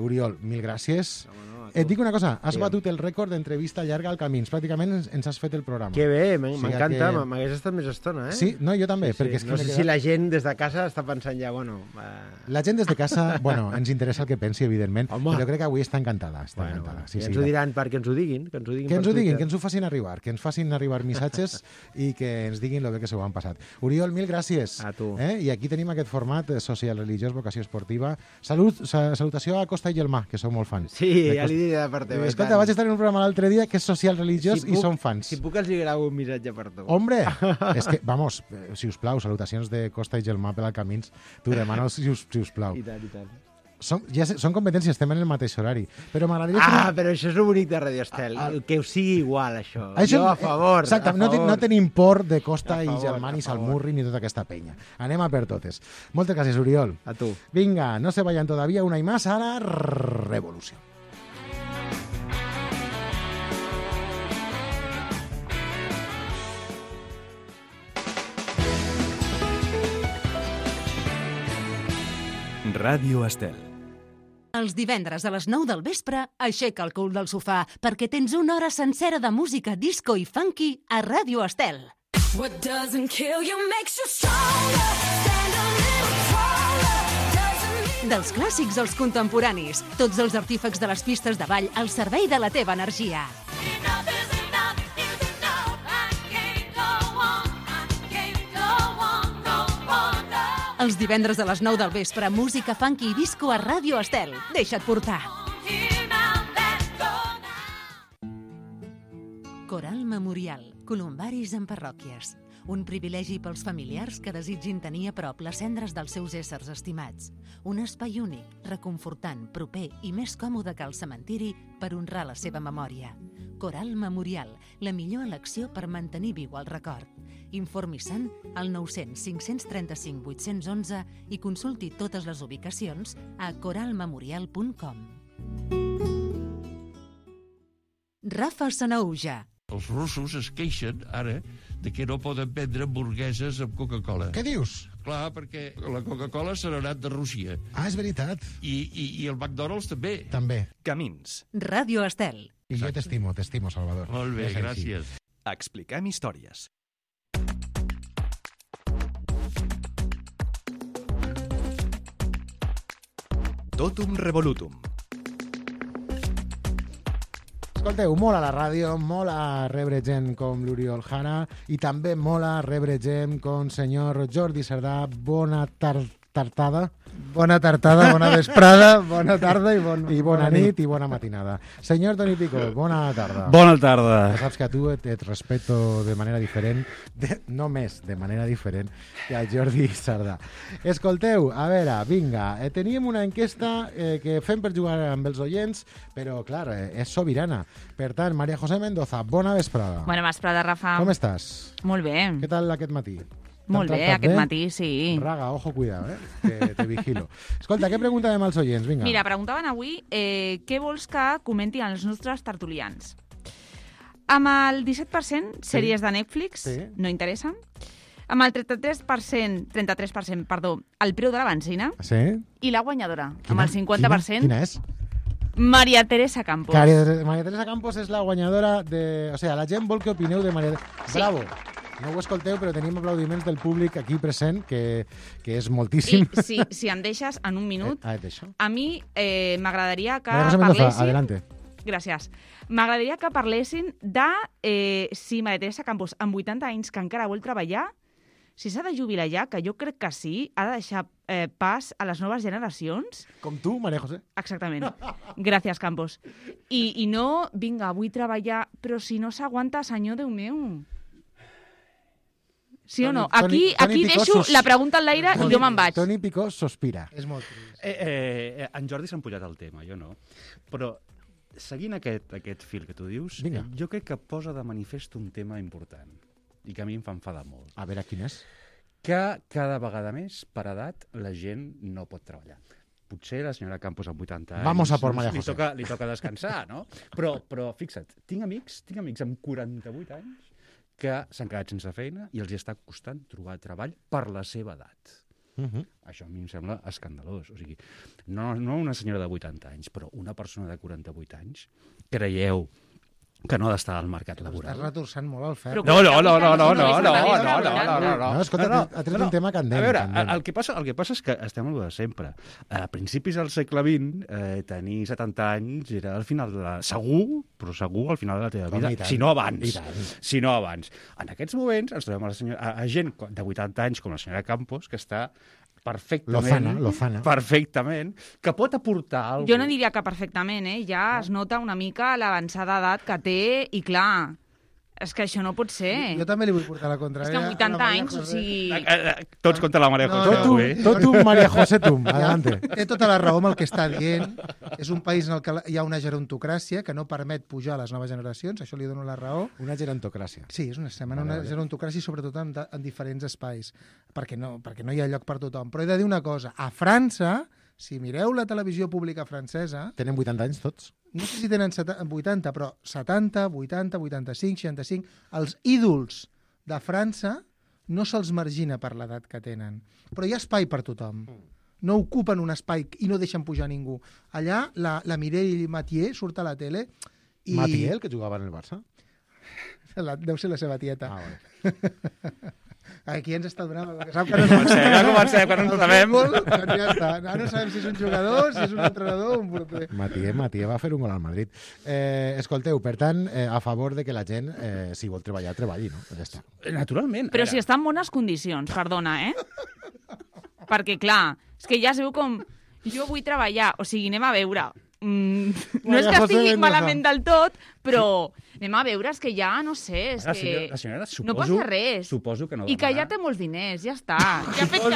Oriol, mil gràcies. Et dic una cosa, has batut el rècord d'entrevista llarga al Camins. Pràcticament ens has fet el programa. Que bé, m'encanta, m'hagués estat més estona, Sí, no, jo també. Perquè no sé si la gent des de casa està pensant ja, La gent des de casa, ens interessa el que pensi, evidentment, però jo crec que avui està encantada. Sí, ens ho diran perquè ens ho diguin. Que ens ho facin arribar, que ens facin arribar missatges i que ens diguin lo bé que s'ho han passat. Oriol, mil gràcies. A tu. I aquí tenim aquest format social, religiós, vocació esportiva. Salutació a Costa i Gelmà, que sou molt fans. Sí, ja li diré de part teva. Escolta, vaig estar en un programa l'altre dia que és social, religiós i som fans. Si puc els gravo un missatge per tu. Hombre, és que, vamos, si us plau, salutacions de Costa i Gelmà per al Camins. T'ho demano, si us plau. I tant. Són competències, estem en el mateix horari. Però m'agradaria... però això és el bonic de Radio Estel, que us sigui igual, això. Jo a favor. Exacte, no tenim por de Costa i Gelmà, ni Salmurri, ni tota aquesta penya. Anem a per totes. Moltes gràcies, Oriol. A tu. Vinga, no se vayan todavía, una y más, ara revolució. Ràdio Estel. Els divendres a les 9 del vespre, aixeca el cul del sofà perquè tens una hora sencera de música disco i funky a Ràdio Estel. What doesn't kill you makes you stronger. Stand a little taller. Dels clàssics als contemporanis, tots els artífecs de les pistes de ball al servei de la teva energia. Enough is enough is enough. I can't go on. I can't go on, no on. Els divendres a les 9 del vespre, música funky i disco a Ràdio Estel. Deixa't portar. Here now, let's go now. Coral Memorial. Columbaris en parròquies. Un privilegi pels familiars que desitgin tenir a prop les cendres dels seus éssers estimats. Un espai únic, reconfortant, proper i més còmode que el cementiri per honrar la seva memòria. Coral Memorial, la millor elecció per mantenir viu el record. Informi-se'n al 900 535 811 i consulti totes les ubicacions a coralmemorial.com. Rafa Sanaüja. Els russos es queixen, ara, de que no poden vendre hamburgueses amb Coca-Cola. Què dius? Clar, perquè la Coca-Cola se n'ha anat de Rússia. És veritat. I el McDonald's també. També. Camins. Ràdio Estel. I jo t'estimo, Salvador. Molt bé, És així. gràcies. Expliquem històries. Totum Revolutum. Escolteu, mola la ràdio, mola rebre gent com l'Oriol Jara i també mola rebre gent com senyor Jordi Cerdà. Bona tarda. tartada. Bona tartada, bona vesprada, bona tarda i Bona nit i bona matinada. Senyor Toni Picó, bona tarda. Bona tarda. Ja saps que a tu et respeto de manera diferent, només de manera diferent que al Jordi Sardà. Escolteu, a veure, vinga, teníem una enquesta que fem per jugar amb els oients, però, clar, és sobirana. Per tant, Maria José Mendoza, bona vesprada. Bona vesprada, Rafa. Com estàs? Molt bé. Què tal aquest matí? Molt bé, aquest matí, sí. Raga, ojo, cuidado, que te vigilo. Escolta, què preguntàvem als oients? Vinga. Mira, preguntaven avui què vols que comentin els nostres tertulians. Amb el 17% sèries de Netflix, no interessen. Amb el 33%, el preu de la benzina. Sí? I la guanyadora, amb el 50%. Quina és? Maria Teresa Campos. Maria Teresa Campos és la guanyadora de... O sigui, la gent vol que opineu de Maria Teresa. Sí. Bravo! No ho escolteu, però tenim aplaudiments del públic aquí present, que és moltíssim. I si em deixes en un minut, et deixo. a mi m'agradaria que Maria José Mendoza, parlessin... adelante. Gràcies. M'agradaria que parlessin de si Maria Teresa Campos, amb 80 anys, que encara vol treballar, si s'ha de jubilar ja, que jo crec que sí, ha de deixar pas a les noves generacions. Com tu, Maria José. Exactament. Gràcies, Campos. I no, vinga, vull treballar, però si no s'aguanta, senyor Déu meu. Sí o no? Aquí deixo la pregunta en l'aire i jo me'n vaig. Toni Picó sospira. És molt trist. En Jordi s'ha empullat el tema, jo no. Però seguint aquest fil que tu dius, jo crec que posa de manifest un tema important i que a mi em fa enfadar molt. A veure, quin és? Que cada vegada més, per edat, la gent no pot treballar. Potser la senyora Campos amb 80 anys... Vamos a por María José. Li toca descansar, no? Però fixa't, tinc amics amb 48 anys que s'han quedat sense feina i els està costant trobar treball per la seva edat. Això a mi em sembla escandalós. O sigui, no una senyora de 80 anys, però una persona de 48 anys, creieu que no ha d'estar al mercat laboral. Estàs retorçant molt el ferro. No. Escolta, ha tret un tema candent. A veure, el que passa és que estem a lo de sempre. A principis del segle XX, tenir 70 anys era al final segur al final de la teva vida, si no abans. En aquests moments ens trobem a gent de 80 anys com la senyora Campos, que està Lozana. Perfectament, que pot aportar alguna cosa. Jo no diria que perfectament, ja es nota una mica l'avançada edat que té i clar, és que això no pot ser. Jo també li vull portar la contrària. És que amb 80 anys, o sigui... Tots contra la Maria José. Tot tu, Maria José, tu. Adelante. Té tota la raó amb el que està dient. És un país en el que hi ha una gerontocràcia que no permet pujar a les noves generacions, això li dono la raó. Una gerontocràcia. Sí, és una gerontocràcia, sobretot en diferents espais, perquè no hi ha lloc per tothom. Però he de dir una cosa, a França, si mireu la televisió pública francesa... Tenen 80 anys tots? No sé si tenen 80, però 70, 80, 85, 65... Els ídols de França no se'ls margina per l'edat que tenen. Però hi ha espai per tothom. No ocupen un espai i no deixen pujar ningú. Allà la Mireille Mathieu surt a la tele i... Mathieu, el que jugava en el Barça? Deu ser la seva tieta. Aquí ens està donant... Comencem, que no en sabem. Ja està. Ara no sabem si és un jugador, si és un entrenador o un porter. Mathieu va fer un gol al Madrid. Escolteu, per tant, a favor de que la gent, si vol treballar, treballi, no? Ja està. Naturalment. Però si està en bones condicions, perdona, Perquè, clar, és que ja es veu com... Jo vull treballar, o sigui, anem a veure... no és que estigui malament del tot, però anem a veure, és que ja, no sé, és que la senyora, no passa res. Suposo que no I que ja té molts diners, ja està. Ja ha fet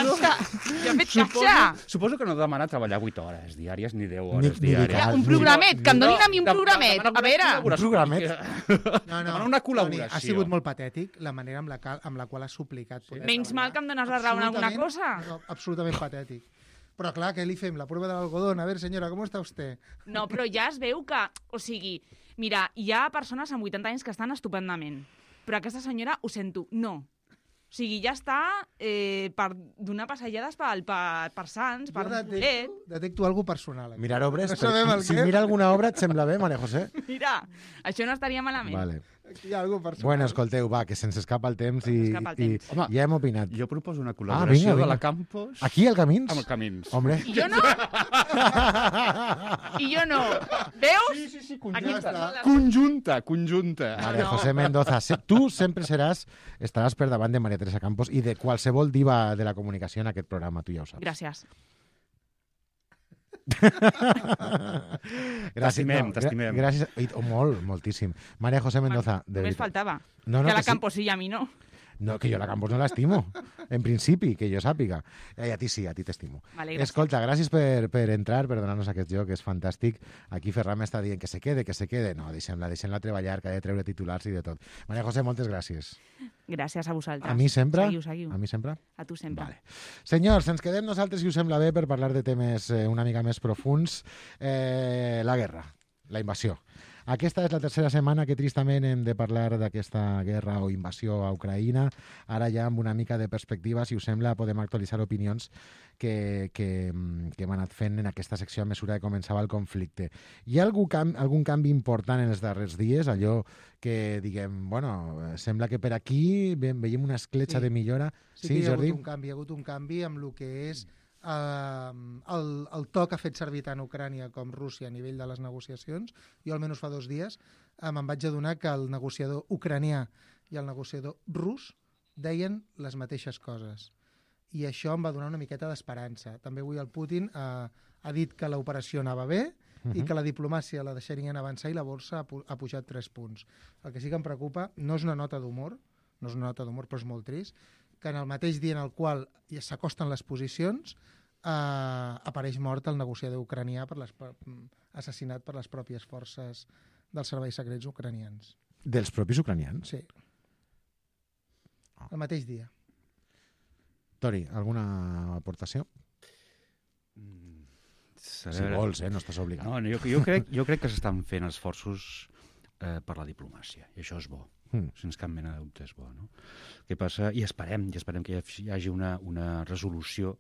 caixa. Suposo que no demana treballar 8 hores diàries ni 10 hores diàries. Un programet, que em donin a mi un programet. A veure. Un programet? No, una col·laboració. Ha sigut molt patètic la manera amb la qual ha suplicat. Menys mal que em dones la raó en alguna cosa. Absolutament patètic. Però clar, què li fem? La prova de l'algodón. A veure, senyora, com està vostè? No, però ja es veu que... O sigui, mira, hi ha persones amb 80 anys que estan estupendament. Però aquesta senyora, ho sento, no. O sigui, ja està per donar passejades per Sants, per Bolet. Detecto alguna cosa personal. Mirar obres. Si mira alguna obra et sembla bé, Maria José? Mira, això no estaria malament. Vale. Aquí hi ha algú personal. Bueno, escolteu, va, que se'ns escapa el temps i, Escapa el temps. Home, ja hem opinat. Jo proposo una vinga, col·laboració vinga. de la Campos Aquí, al Camins? amb el Camins. Hombre. I jo no? I jo no. Veus? Sí, Aquí està. Conjunta. María no. José Mendoza, tu sempre estaràs per davant de María Teresa Campos i de qualsevol diva de la comunicació en aquest programa, tu ja ho saps. Gràcies. T'estimem. Gràcies. Moltíssim. María José Mendoza, de Només veritat. faltava. No, Que a la que sí. Campos sí i a mi no. No, que jo la Campos no l'estimo, en principi, que jo sàpiga. I a ti sí, a ti t'estimo. Vale, gràcies. Escolta, gràcies per entrar, per donar-nos aquest joc, és fantàstic. Aquí Ferran m'està dient que se quede. No, deixem-la treballar, que ha de treure titulars i de tot. María José, moltes gràcies. Gràcies a vosaltres. A mi sempre? Seguiu. A mi sempre? A tu sempre. Vale. Senyors, ens quedem nosaltres, si us sembla bé, per parlar de temes una mica més profuns. La guerra, la invasió. Aquesta és la tercera setmana que tristament hem de parlar d'aquesta guerra o invasió a Ucraïna. Ara ja amb una mica de perspectiva, si us sembla, podem actualitzar opinions que hem anat fent en aquesta secció a mesura que començava el conflicte. Hi ha algun canvi important en els darrers dies? Allò que diguem, bueno, sembla que per aquí veiem una escletxa de millora. Sí que hi ha Jordi? hagut un canvi amb el que és el to que ha fet servir tant Ucrània com Rússia a nivell de les negociacions. Jo almenys fa 2 dies me'n vaig adonar que el negociador ucranià i el negociador rus deien les mateixes coses. I això em va donar una miqueta d'esperança. També avui el Putin ha dit que l'operació anava bé i que la diplomàcia la deixarien avançar i la borsa ha pujat 3 punts. El que sí que em preocupa no és una nota d'humor, però és molt trist, que en el mateix dia en el qual s'acosten les posicions apareix mort el negociador ucranià assassinat per les pròpies forces dels serveis secrets ucranians. Dels propis ucranians? Sí. El mateix dia. Tori, alguna aportació? Si vols, no estàs obligat. No, jo crec que s'estan fent esforços per la diplomàcia, i això és bo. Sense cap mena de dubte és bo, no? Què passa? I esperem que hi hagi una resolució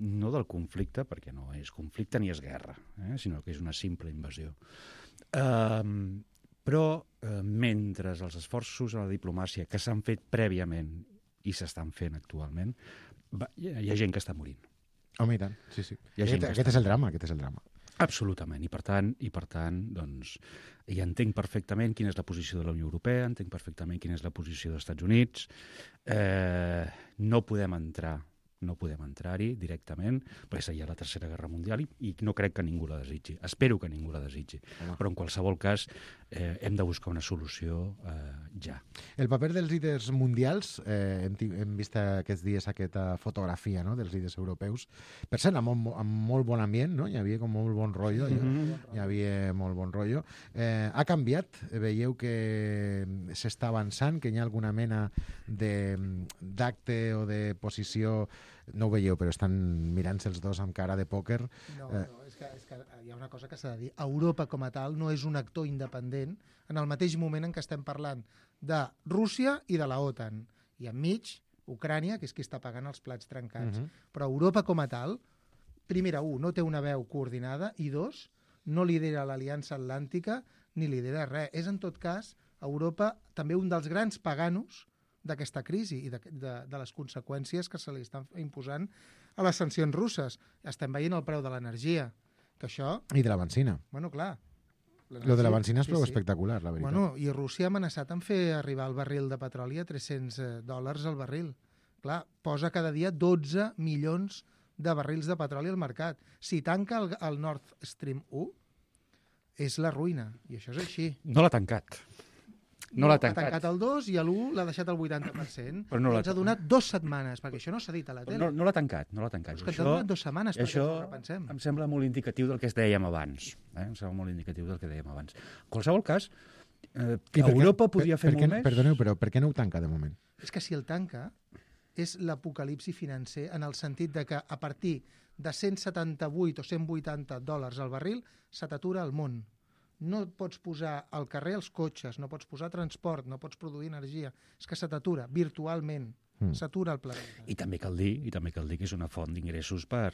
no del conflicte, perquè no és conflicte ni és guerra, sinó que és una simple invasió. Però mentre els esforços a la diplomàcia que s'han fet prèviament i s'estan fent actualment, hi ha gent que està morint. Home, i tant, sí. Aquest és el drama. Absolutament, i per tant, doncs, ja entenc perfectament quina és la posició de la Unió Europea, entenc perfectament quina és la posició dels Estats Units. No podem entrar-hi directament, perquè seria la Tercera Guerra Mundial i no crec que ningú la desitgi. Espero que ningú la desitgi. Però en qualsevol cas hem de buscar una solució ja. El paper dels líders mundials, hem vist aquests dies aquesta fotografia, no?, dels líders europeus, per cert, amb molt bon ambient, no? Hi havia com molt bon rotllo. Hi havia molt bon rotllo. Ha canviat? Veieu que s'està avançant, que hi ha alguna mena d'acte o de posició. No ho veieu, però estan mirant-se els dos amb cara de pòquer. No, és que hi ha una cosa que s'ha de dir. Europa com a tal no és un actor independent en el mateix moment en què estem parlant de Rússia i de la OTAN. I enmig, Ucrània, que és qui està pagant els plats trencats. Però Europa com a tal, primera, no té una veu coordinada, i 2, no lidera l'Aliança Atlàntica ni lidera res. És, en tot cas, Europa també un dels grans paganos d'aquesta crisi i de les conseqüències que se li estan imposant a les sancions russes. Estem veient el preu de l'energia, que això... I de la benzina. Bueno, clar. Lo de la benzina és prou espectacular, la veritat. Bueno, i Rússia ha amenaçat en fer arribar el barril de petroli a $300 al barril. Clar, posa cada dia 12 milions de barrils de petroli al mercat. Si tanca el Nord Stream 1, és la ruïna, i això és així. No l'ha tancat. No l'ha tancat. Ha tancat el 2 i l'1 l'ha deixat al 80%. Però no ens ha donat 2 setmanes, perquè això no s'ha dit a la tele. No l'ha tancat. És que ens ha donat 2 setmanes perquè ens ho repensem. Em sembla molt indicatiu del que dèiem abans. Em sembla molt indicatiu del que dèiem abans. En qualsevol cas, Europa podia fer molt més. Perdoneu, però per què no ho tanca de moment? És que si el tanca és l'apocalipsi financer en el sentit de que a partir de 178 o 180 dòlars al barril se t'atura el món. No pots posar al carrer els cotxes, no pots posar transport, no pots produir energia. És que se t'atura virtualment, s'atura el planeta. I també cal dir que és una font d'ingressos per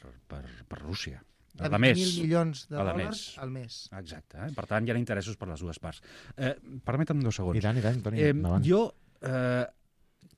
Rússia. De de més. 20.000 milions de A la dòlars més. al mes. Exacte. Per tant, hi ha interessos per les dues parts. Permetem 2 segons. I tant, Toni, endavant. Jo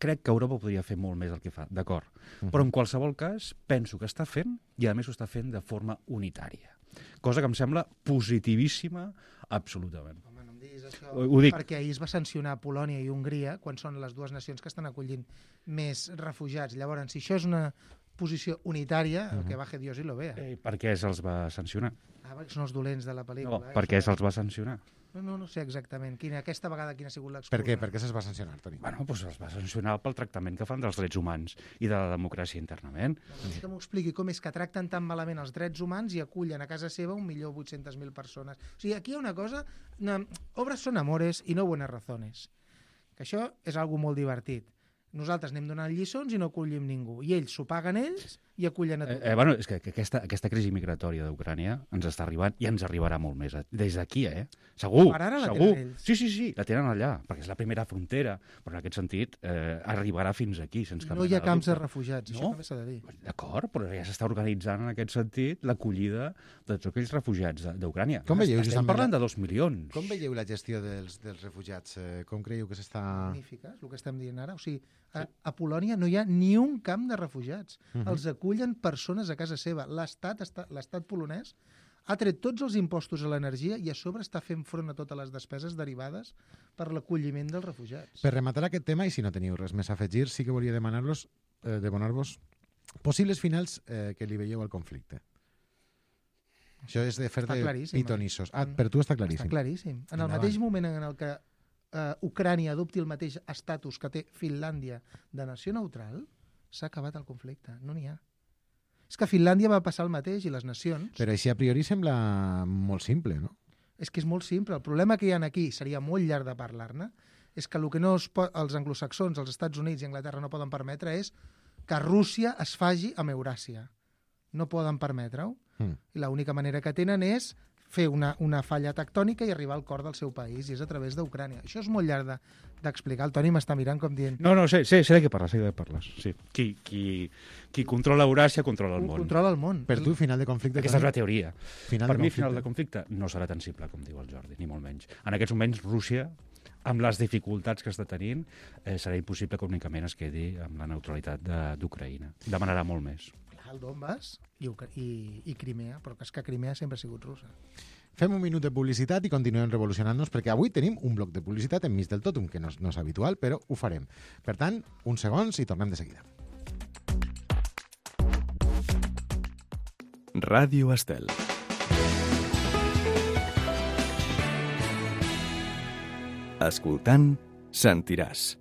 crec que Europa podria fer molt més del que fa, d'acord. Però en qualsevol cas, penso que està fent, i a més ho està fent de forma unitària. Cosa que em sembla positivíssima, absolutament. Home, no em diguis això, Ho dic. perquè ahir es va sancionar Polònia i Hongria quan són les dues nacions que estan acollint més refugiats. Llavors, si això és una posició unitària, el que baje Dios y lo vea. Per què se'ls va sancionar? Perquè són els dolents de la pel·lícula. No, per què se'ls va sancionar? No sé exactament. Aquesta vegada quina ha sigut l'excusa. Per què? Per què se'ls va sancionar, Toni? Bueno, doncs se'ls va sancionar pel tractament que fan dels drets humans i de la democràcia internament. Que m'ho expliqui com és que tracten tan malament els drets humans i acullen a casa seva 1.800.000 persones. O sigui, aquí hi ha una cosa... Obres són amores i no buenas razones. Que això és algo molt divertit. Nosaltres anem donant lliçons i no acollim ningú. I ells s'ho paguen ells i acullen a tothom. Bueno, és que aquesta crisi migratòria d'Ucrània ens està arribant i ens arribarà molt més. Des d'aquí, Segur, Per ara la segur. tenen ells. Sí, la tenen allà, perquè és la primera frontera, però en aquest sentit arribarà fins aquí, sense cap No hi ha mena camps de dubte. refugiats, això No? també s'ha de dir. D'acord, però ja s'està organitzant en aquest sentit l'acollida de tots aquells refugiats d'Ucrània. Com veieu, Estem justament, parlant de 2 milions. Com veieu la gestió dels refugiats? Com creieu que s'està... Magnífica, és el que estem dient ara. O sigui, a Polònia no hi ha ni un camp de refugiats. Els acullen persones a casa seva. L'estat polonès ha tret tots els impostos a l'energia i a sobre està fent front a totes les despeses derivades per l'acolliment dels refugiats. Per rematar aquest tema, i si no teniu res més a afegir, sí que volia demanar-vos possibles finals que li veieu al conflicte. Això és de fer Està de claríssim. pitonissos. Per tu està claríssim. Està claríssim. En el Endavant. mateix moment en el que Ucrània adopti el mateix estatus que té Finlàndia de nació neutral, s'ha acabat el conflicte. No n'hi ha. És que a Finlàndia va passar el mateix i les nacions... Però així a priori sembla molt simple, no? És que és molt simple. El problema que hi ha aquí, seria molt llarg de parlar-ne, és que el que no els anglosaxons, els Estats Units i Anglaterra no poden permetre és que Rússia es faci amb Euràsia. No poden permetre-ho. I l'única manera que tenen és fer una falla tectònica i arribar al cor del seu país, i és a través d'Ucrània. Això és molt llarg d'explicar. El Toni m'està mirant com dient... No, sé de què parles, Sí. Qui controla Euràsia controla el món. Controla el món. Per tu, final de conflicte... Aquesta és la teoria. Final Per de mi, conflicte. final de conflicte no serà tan simple com diu el Jordi, ni molt menys. En aquests moments, Rússia, amb les dificultats que està tenint, serà impossible que únicament es quedi amb la neutralitat d'Ucraïna. Demanarà molt més. El Donbass i Crimea, però que és que Crimea sempre ha sigut russa. Fem un minut de publicitat i continuem revolucionant-nos, perquè avui tenim un bloc de publicitat enmig del totum, que no és habitual, però ho farem. Per tant, uns segons i tornem de seguida. Ràdio Estel. Escoltant, sentiràs.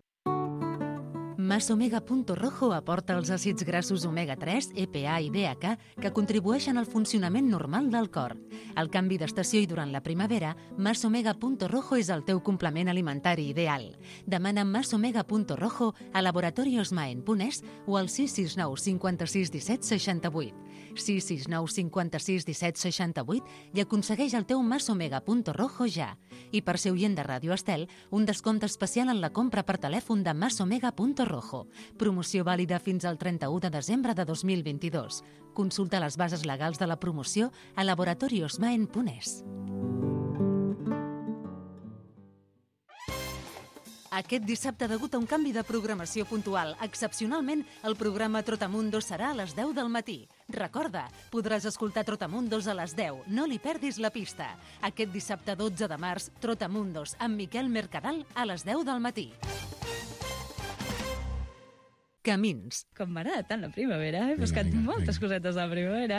Masomega.rojo aporta els àcids grassos omega-3, EPA i DHA que contribueixen al funcionament normal del cor. Al canvi d'estació i durant la primavera, Masomega.rojo és el teu complement alimentari ideal. Demana Masomega.rojo a laboratoriosmaen.es o al 669 56 17 68. 669 56 17 68 i aconsegueix el teu Masomega.rojo ja. I per ser oient de Ràdio Estel, un descompte especial en la compra per telèfon de Masomega.rojo. Promoció vàlida fins al 31 de desembre de 2022. Consulta les bases legals de la promoció a laboratoriosmaen.es. Aquest dissabte, degut a un canvi de programació puntual, excepcionalment, el programa Trotamundos serà a les 10 del matí. Recorda, podràs escoltar Trotamundos a les 10. No li perdis la pista. Aquest dissabte 12 de març, Trotamundos, amb Miquel Mercadal, a les 10 del matí. Camins. Com m'agrada tant la primavera, he buscat moltes cosetes de la primavera.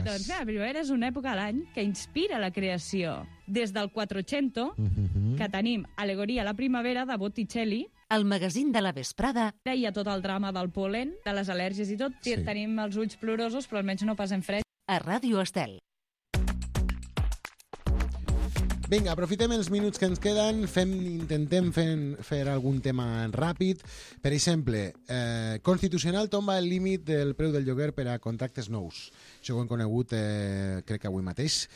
Doncs bé, la primavera és una època a l'any que inspira la creació. Des del 400, que tenim Alegoria a la primavera, de Botticelli. El magazín de la vesprada. Hi ha tot el drama del polen, de les al·lèrgies i tot. Sí. Tenim els ulls plorosos, però almenys no passem fred. A Ràdio Estel. Vinga, aprofitem els minuts que ens queden, intentem fer algun tema ràpid. Per exemple, Constitucional tomba el límit del preu del lloguer per a contractes nous. Això ho hem conegut, crec que avui mateix.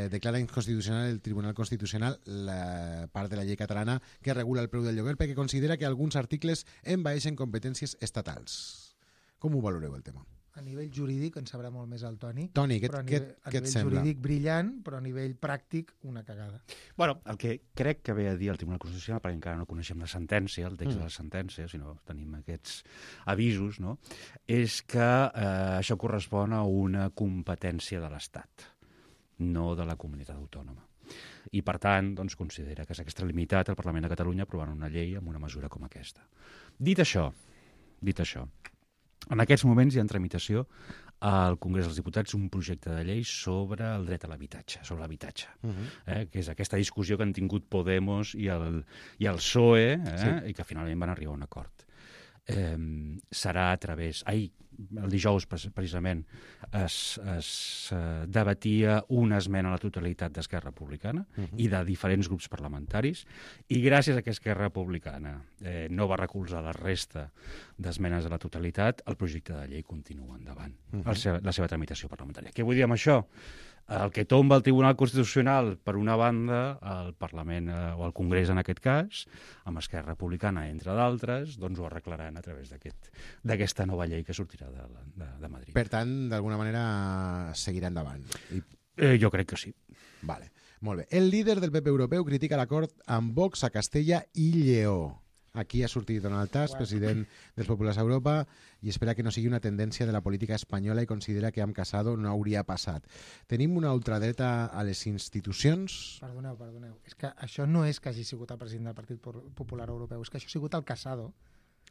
Declara inconstitucional el Tribunal Constitucional la part de la llei catalana que regula el preu del lloguer perquè considera que alguns articles envaeixen competències estatals. Com ho valoreu, el tema? A nivell jurídic en sabrà molt més el Toni. Toni, però a què nivell et sembla? jurídic brillant, però a nivell pràctic una cagada. Bueno, el que crec que ve a dir el Tribunal Constitucional, perquè encara no coneixem la sentència, el text de la sentència, sinó tenim aquests avisos, no? És que això correspon a una competència de l'Estat, no de la comunitat autònoma. I, per tant, doncs, considera que és extralimitat el Parlament de Catalunya aprovant una llei amb una mesura com aquesta. Dit això, en aquests moments hi ha en tramitació al Congrés dels Diputats un projecte de llei sobre el dret a l'habitatge, que és aquesta discussió que han tingut Podemos i el PSOE, i que finalment van arribar a un acord. Serà a través... el dijous, precisament, es debatia una esmena a la totalitat d'Esquerra Republicana i de diferents grups parlamentaris, i gràcies a que Esquerra Republicana no va recolzar la resta d'esmenes a la totalitat, el projecte de llei continua endavant, la seva tramitació parlamentària. Què vull dir amb això? El que tomba el Tribunal Constitucional, per una banda, el Parlament, o el Congrés en aquest cas, amb Esquerra Republicana, entre d'altres, doncs ho arreglaran a través d'aquesta nova llei que sortirà de Madrid. Per tant, d'alguna manera, seguirà endavant. Jo crec que sí. Vale, molt bé. El líder del PP europeu critica l'acord amb Vox a Castella i Lleó. Aquí ha sortit Donald Tusk, president dels Populars a Europa, i espera que no sigui una tendència de la política espanyola i considera que amb Casado no hauria passat. Tenim una ultradreta a les institucions? Perdoneu. És que això no és que hagi sigut el president del Partit Popular Europeu, és que això ha sigut el Casado.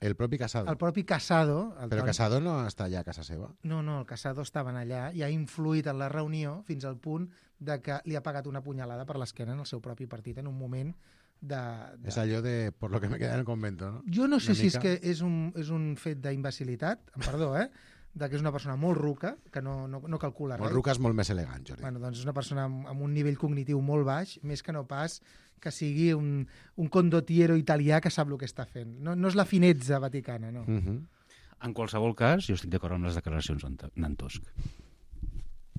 El propi Casado? El propi Casado. Però Casado no està allà a casa seva? No, el Casado estaven allà i ha influït en la reunió fins al punt de que li ha pagat una punyalada per l'esquena en el seu propi partit en un moment És allò de por lo que me queda en el convento, no? Jo no sé si és que és un fet d'imbecilitat, perdó, de que és una persona molt ruca, que no calcula res. Molt ruca és molt més elegant, Jordi. Bueno, doncs és una persona amb un nivell cognitiu molt baix, més que no pas que sigui un condottiero italià que sap el que està fent. No és la finezza vaticana, no. En qualsevol cas, jo estic d'acord amb les declaracions d'en Tusk.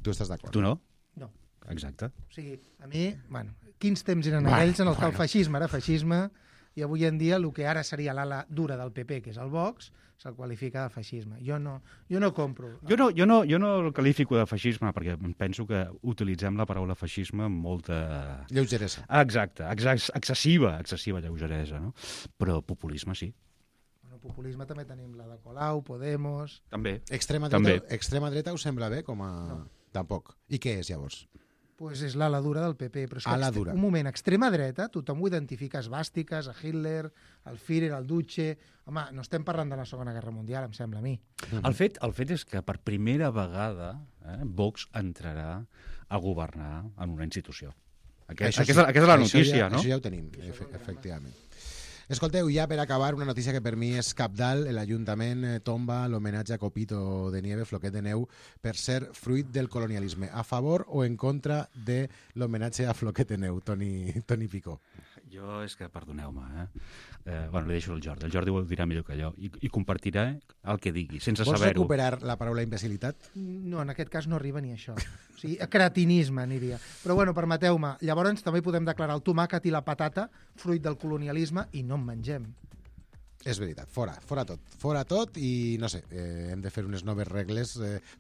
Tu estàs d'acord? Tu no? No. Exacte. O sigui, a mi, quins temps eren aquells en els que el feixisme era feixisme i avui en dia el que ara seria l'ala dura del PP, que és el Vox, se'l qualifica de feixisme. Jo no compro. Jo no el qualifico de feixisme perquè penso que utilitzem la paraula feixisme amb molta... Lleugeresa. Exacte, excessiva lleugeresa, no? Però populisme sí. Bueno, populisme també tenim la de Colau, Podemos... També. Extrema dreta us sembla bé com a... No. Tampoc. I què és, llavors? Pues és l'ala dura del PP, però és ala dura. Un moment, extrema dreta, tothom ho identifica, esvàstiques, a Hitler, al Führer, al Duce... Home, no estem parlant de la Segona Guerra Mundial, em sembla a mi. El fet és que per primera vegada Vox entrarà a governar en una institució. Aquesta és la notícia, no? Això ja ho tenim, efectivament. Escolteu, ja per acabar, una notícia que per mi és cabdal. L'Ajuntament tomba l'homenatge a Copito de Nieve, Floquet de Neu, per ser fruit del colonialisme. A favor o en contra de l'homenatge a Floquet de Neu, Toni Picó? Jo és que, perdoneu-me, li deixo el Jordi. El Jordi ho dirà millor que jo i compartirà el que digui, sense saber-ho. Vols recuperar la paraula imbecilitat? No, en aquest cas no arriba ni això. O sigui, cretinisme aniria. Però bueno, permeteu-me, llavors també podem declarar el tomàquet i la patata fruit del colonialisme i no en mengem. És veritat, fora tot i no sé, hem de fer unes noves regles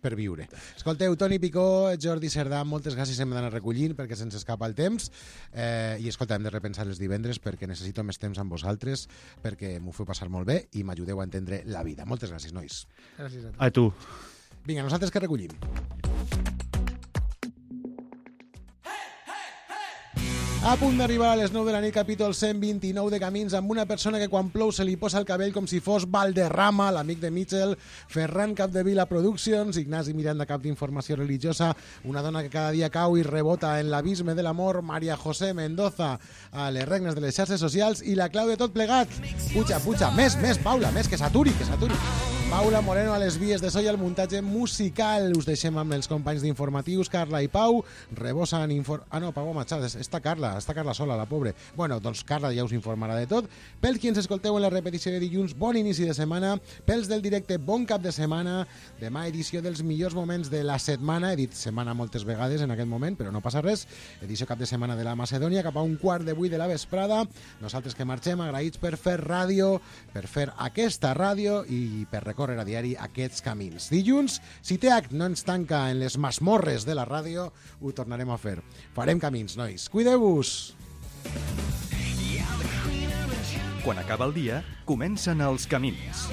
per viure. Escolteu, Toni Picó, Jordi Cerdà, moltes gràcies, hem d'anar recollint perquè se'ns escapa el temps i escolta, hem de repensar els divendres perquè necessito més temps amb vosaltres, perquè m'ho feu passar molt bé i m'ajudeu a entendre la vida. Moltes gràcies, nois. Gràcies a tu. A tu. Vinga, nosaltres que recollim. A punt d'arribar a les 9 de la nit, capítol 129 de Camins, amb una persona que quan plou se li posa el cabell com si fos Valderrama, l'amic de Mitchell, Ferran Capdevila Productions, Ignasi Miranda, cap d'informació religiosa, una dona que cada dia cau i rebota en l'abisme de l'amor, Maria José Mendoza, a les regnes de les xarxes socials, i la clau de tot plegat. Puja, més, Paula, més, que s'aturi. Paula Moreno a les vies de so i al muntatge musical. Us deixem amb els companys d'informatius, Carla i Pau, rebosen Pau ha marxat, està Carla sola, la pobre. Bueno, doncs Carla ja us informarà de tot. Pels qui ens escolteu en la repetició de dilluns, bon inici de setmana. Pels del directe, bon cap de setmana. Demà edició dels millors moments de la setmana. He dit setmana moltes vegades en aquest moment, però no passa res. Edició cap de setmana de la Macedònia, cap a 7:15 de la vesprada. Nosaltres que marxem, agraïts per fer ràdio, per fer aquesta ràdio i per recórrer recórrer a diari aquests camins. Dilluns, si TH no ens tanca en les masmorres de la ràdio, ho tornarem a fer. Farem camins, nois. Cuideu-vos! Quan acaba el dia, comencen els camins.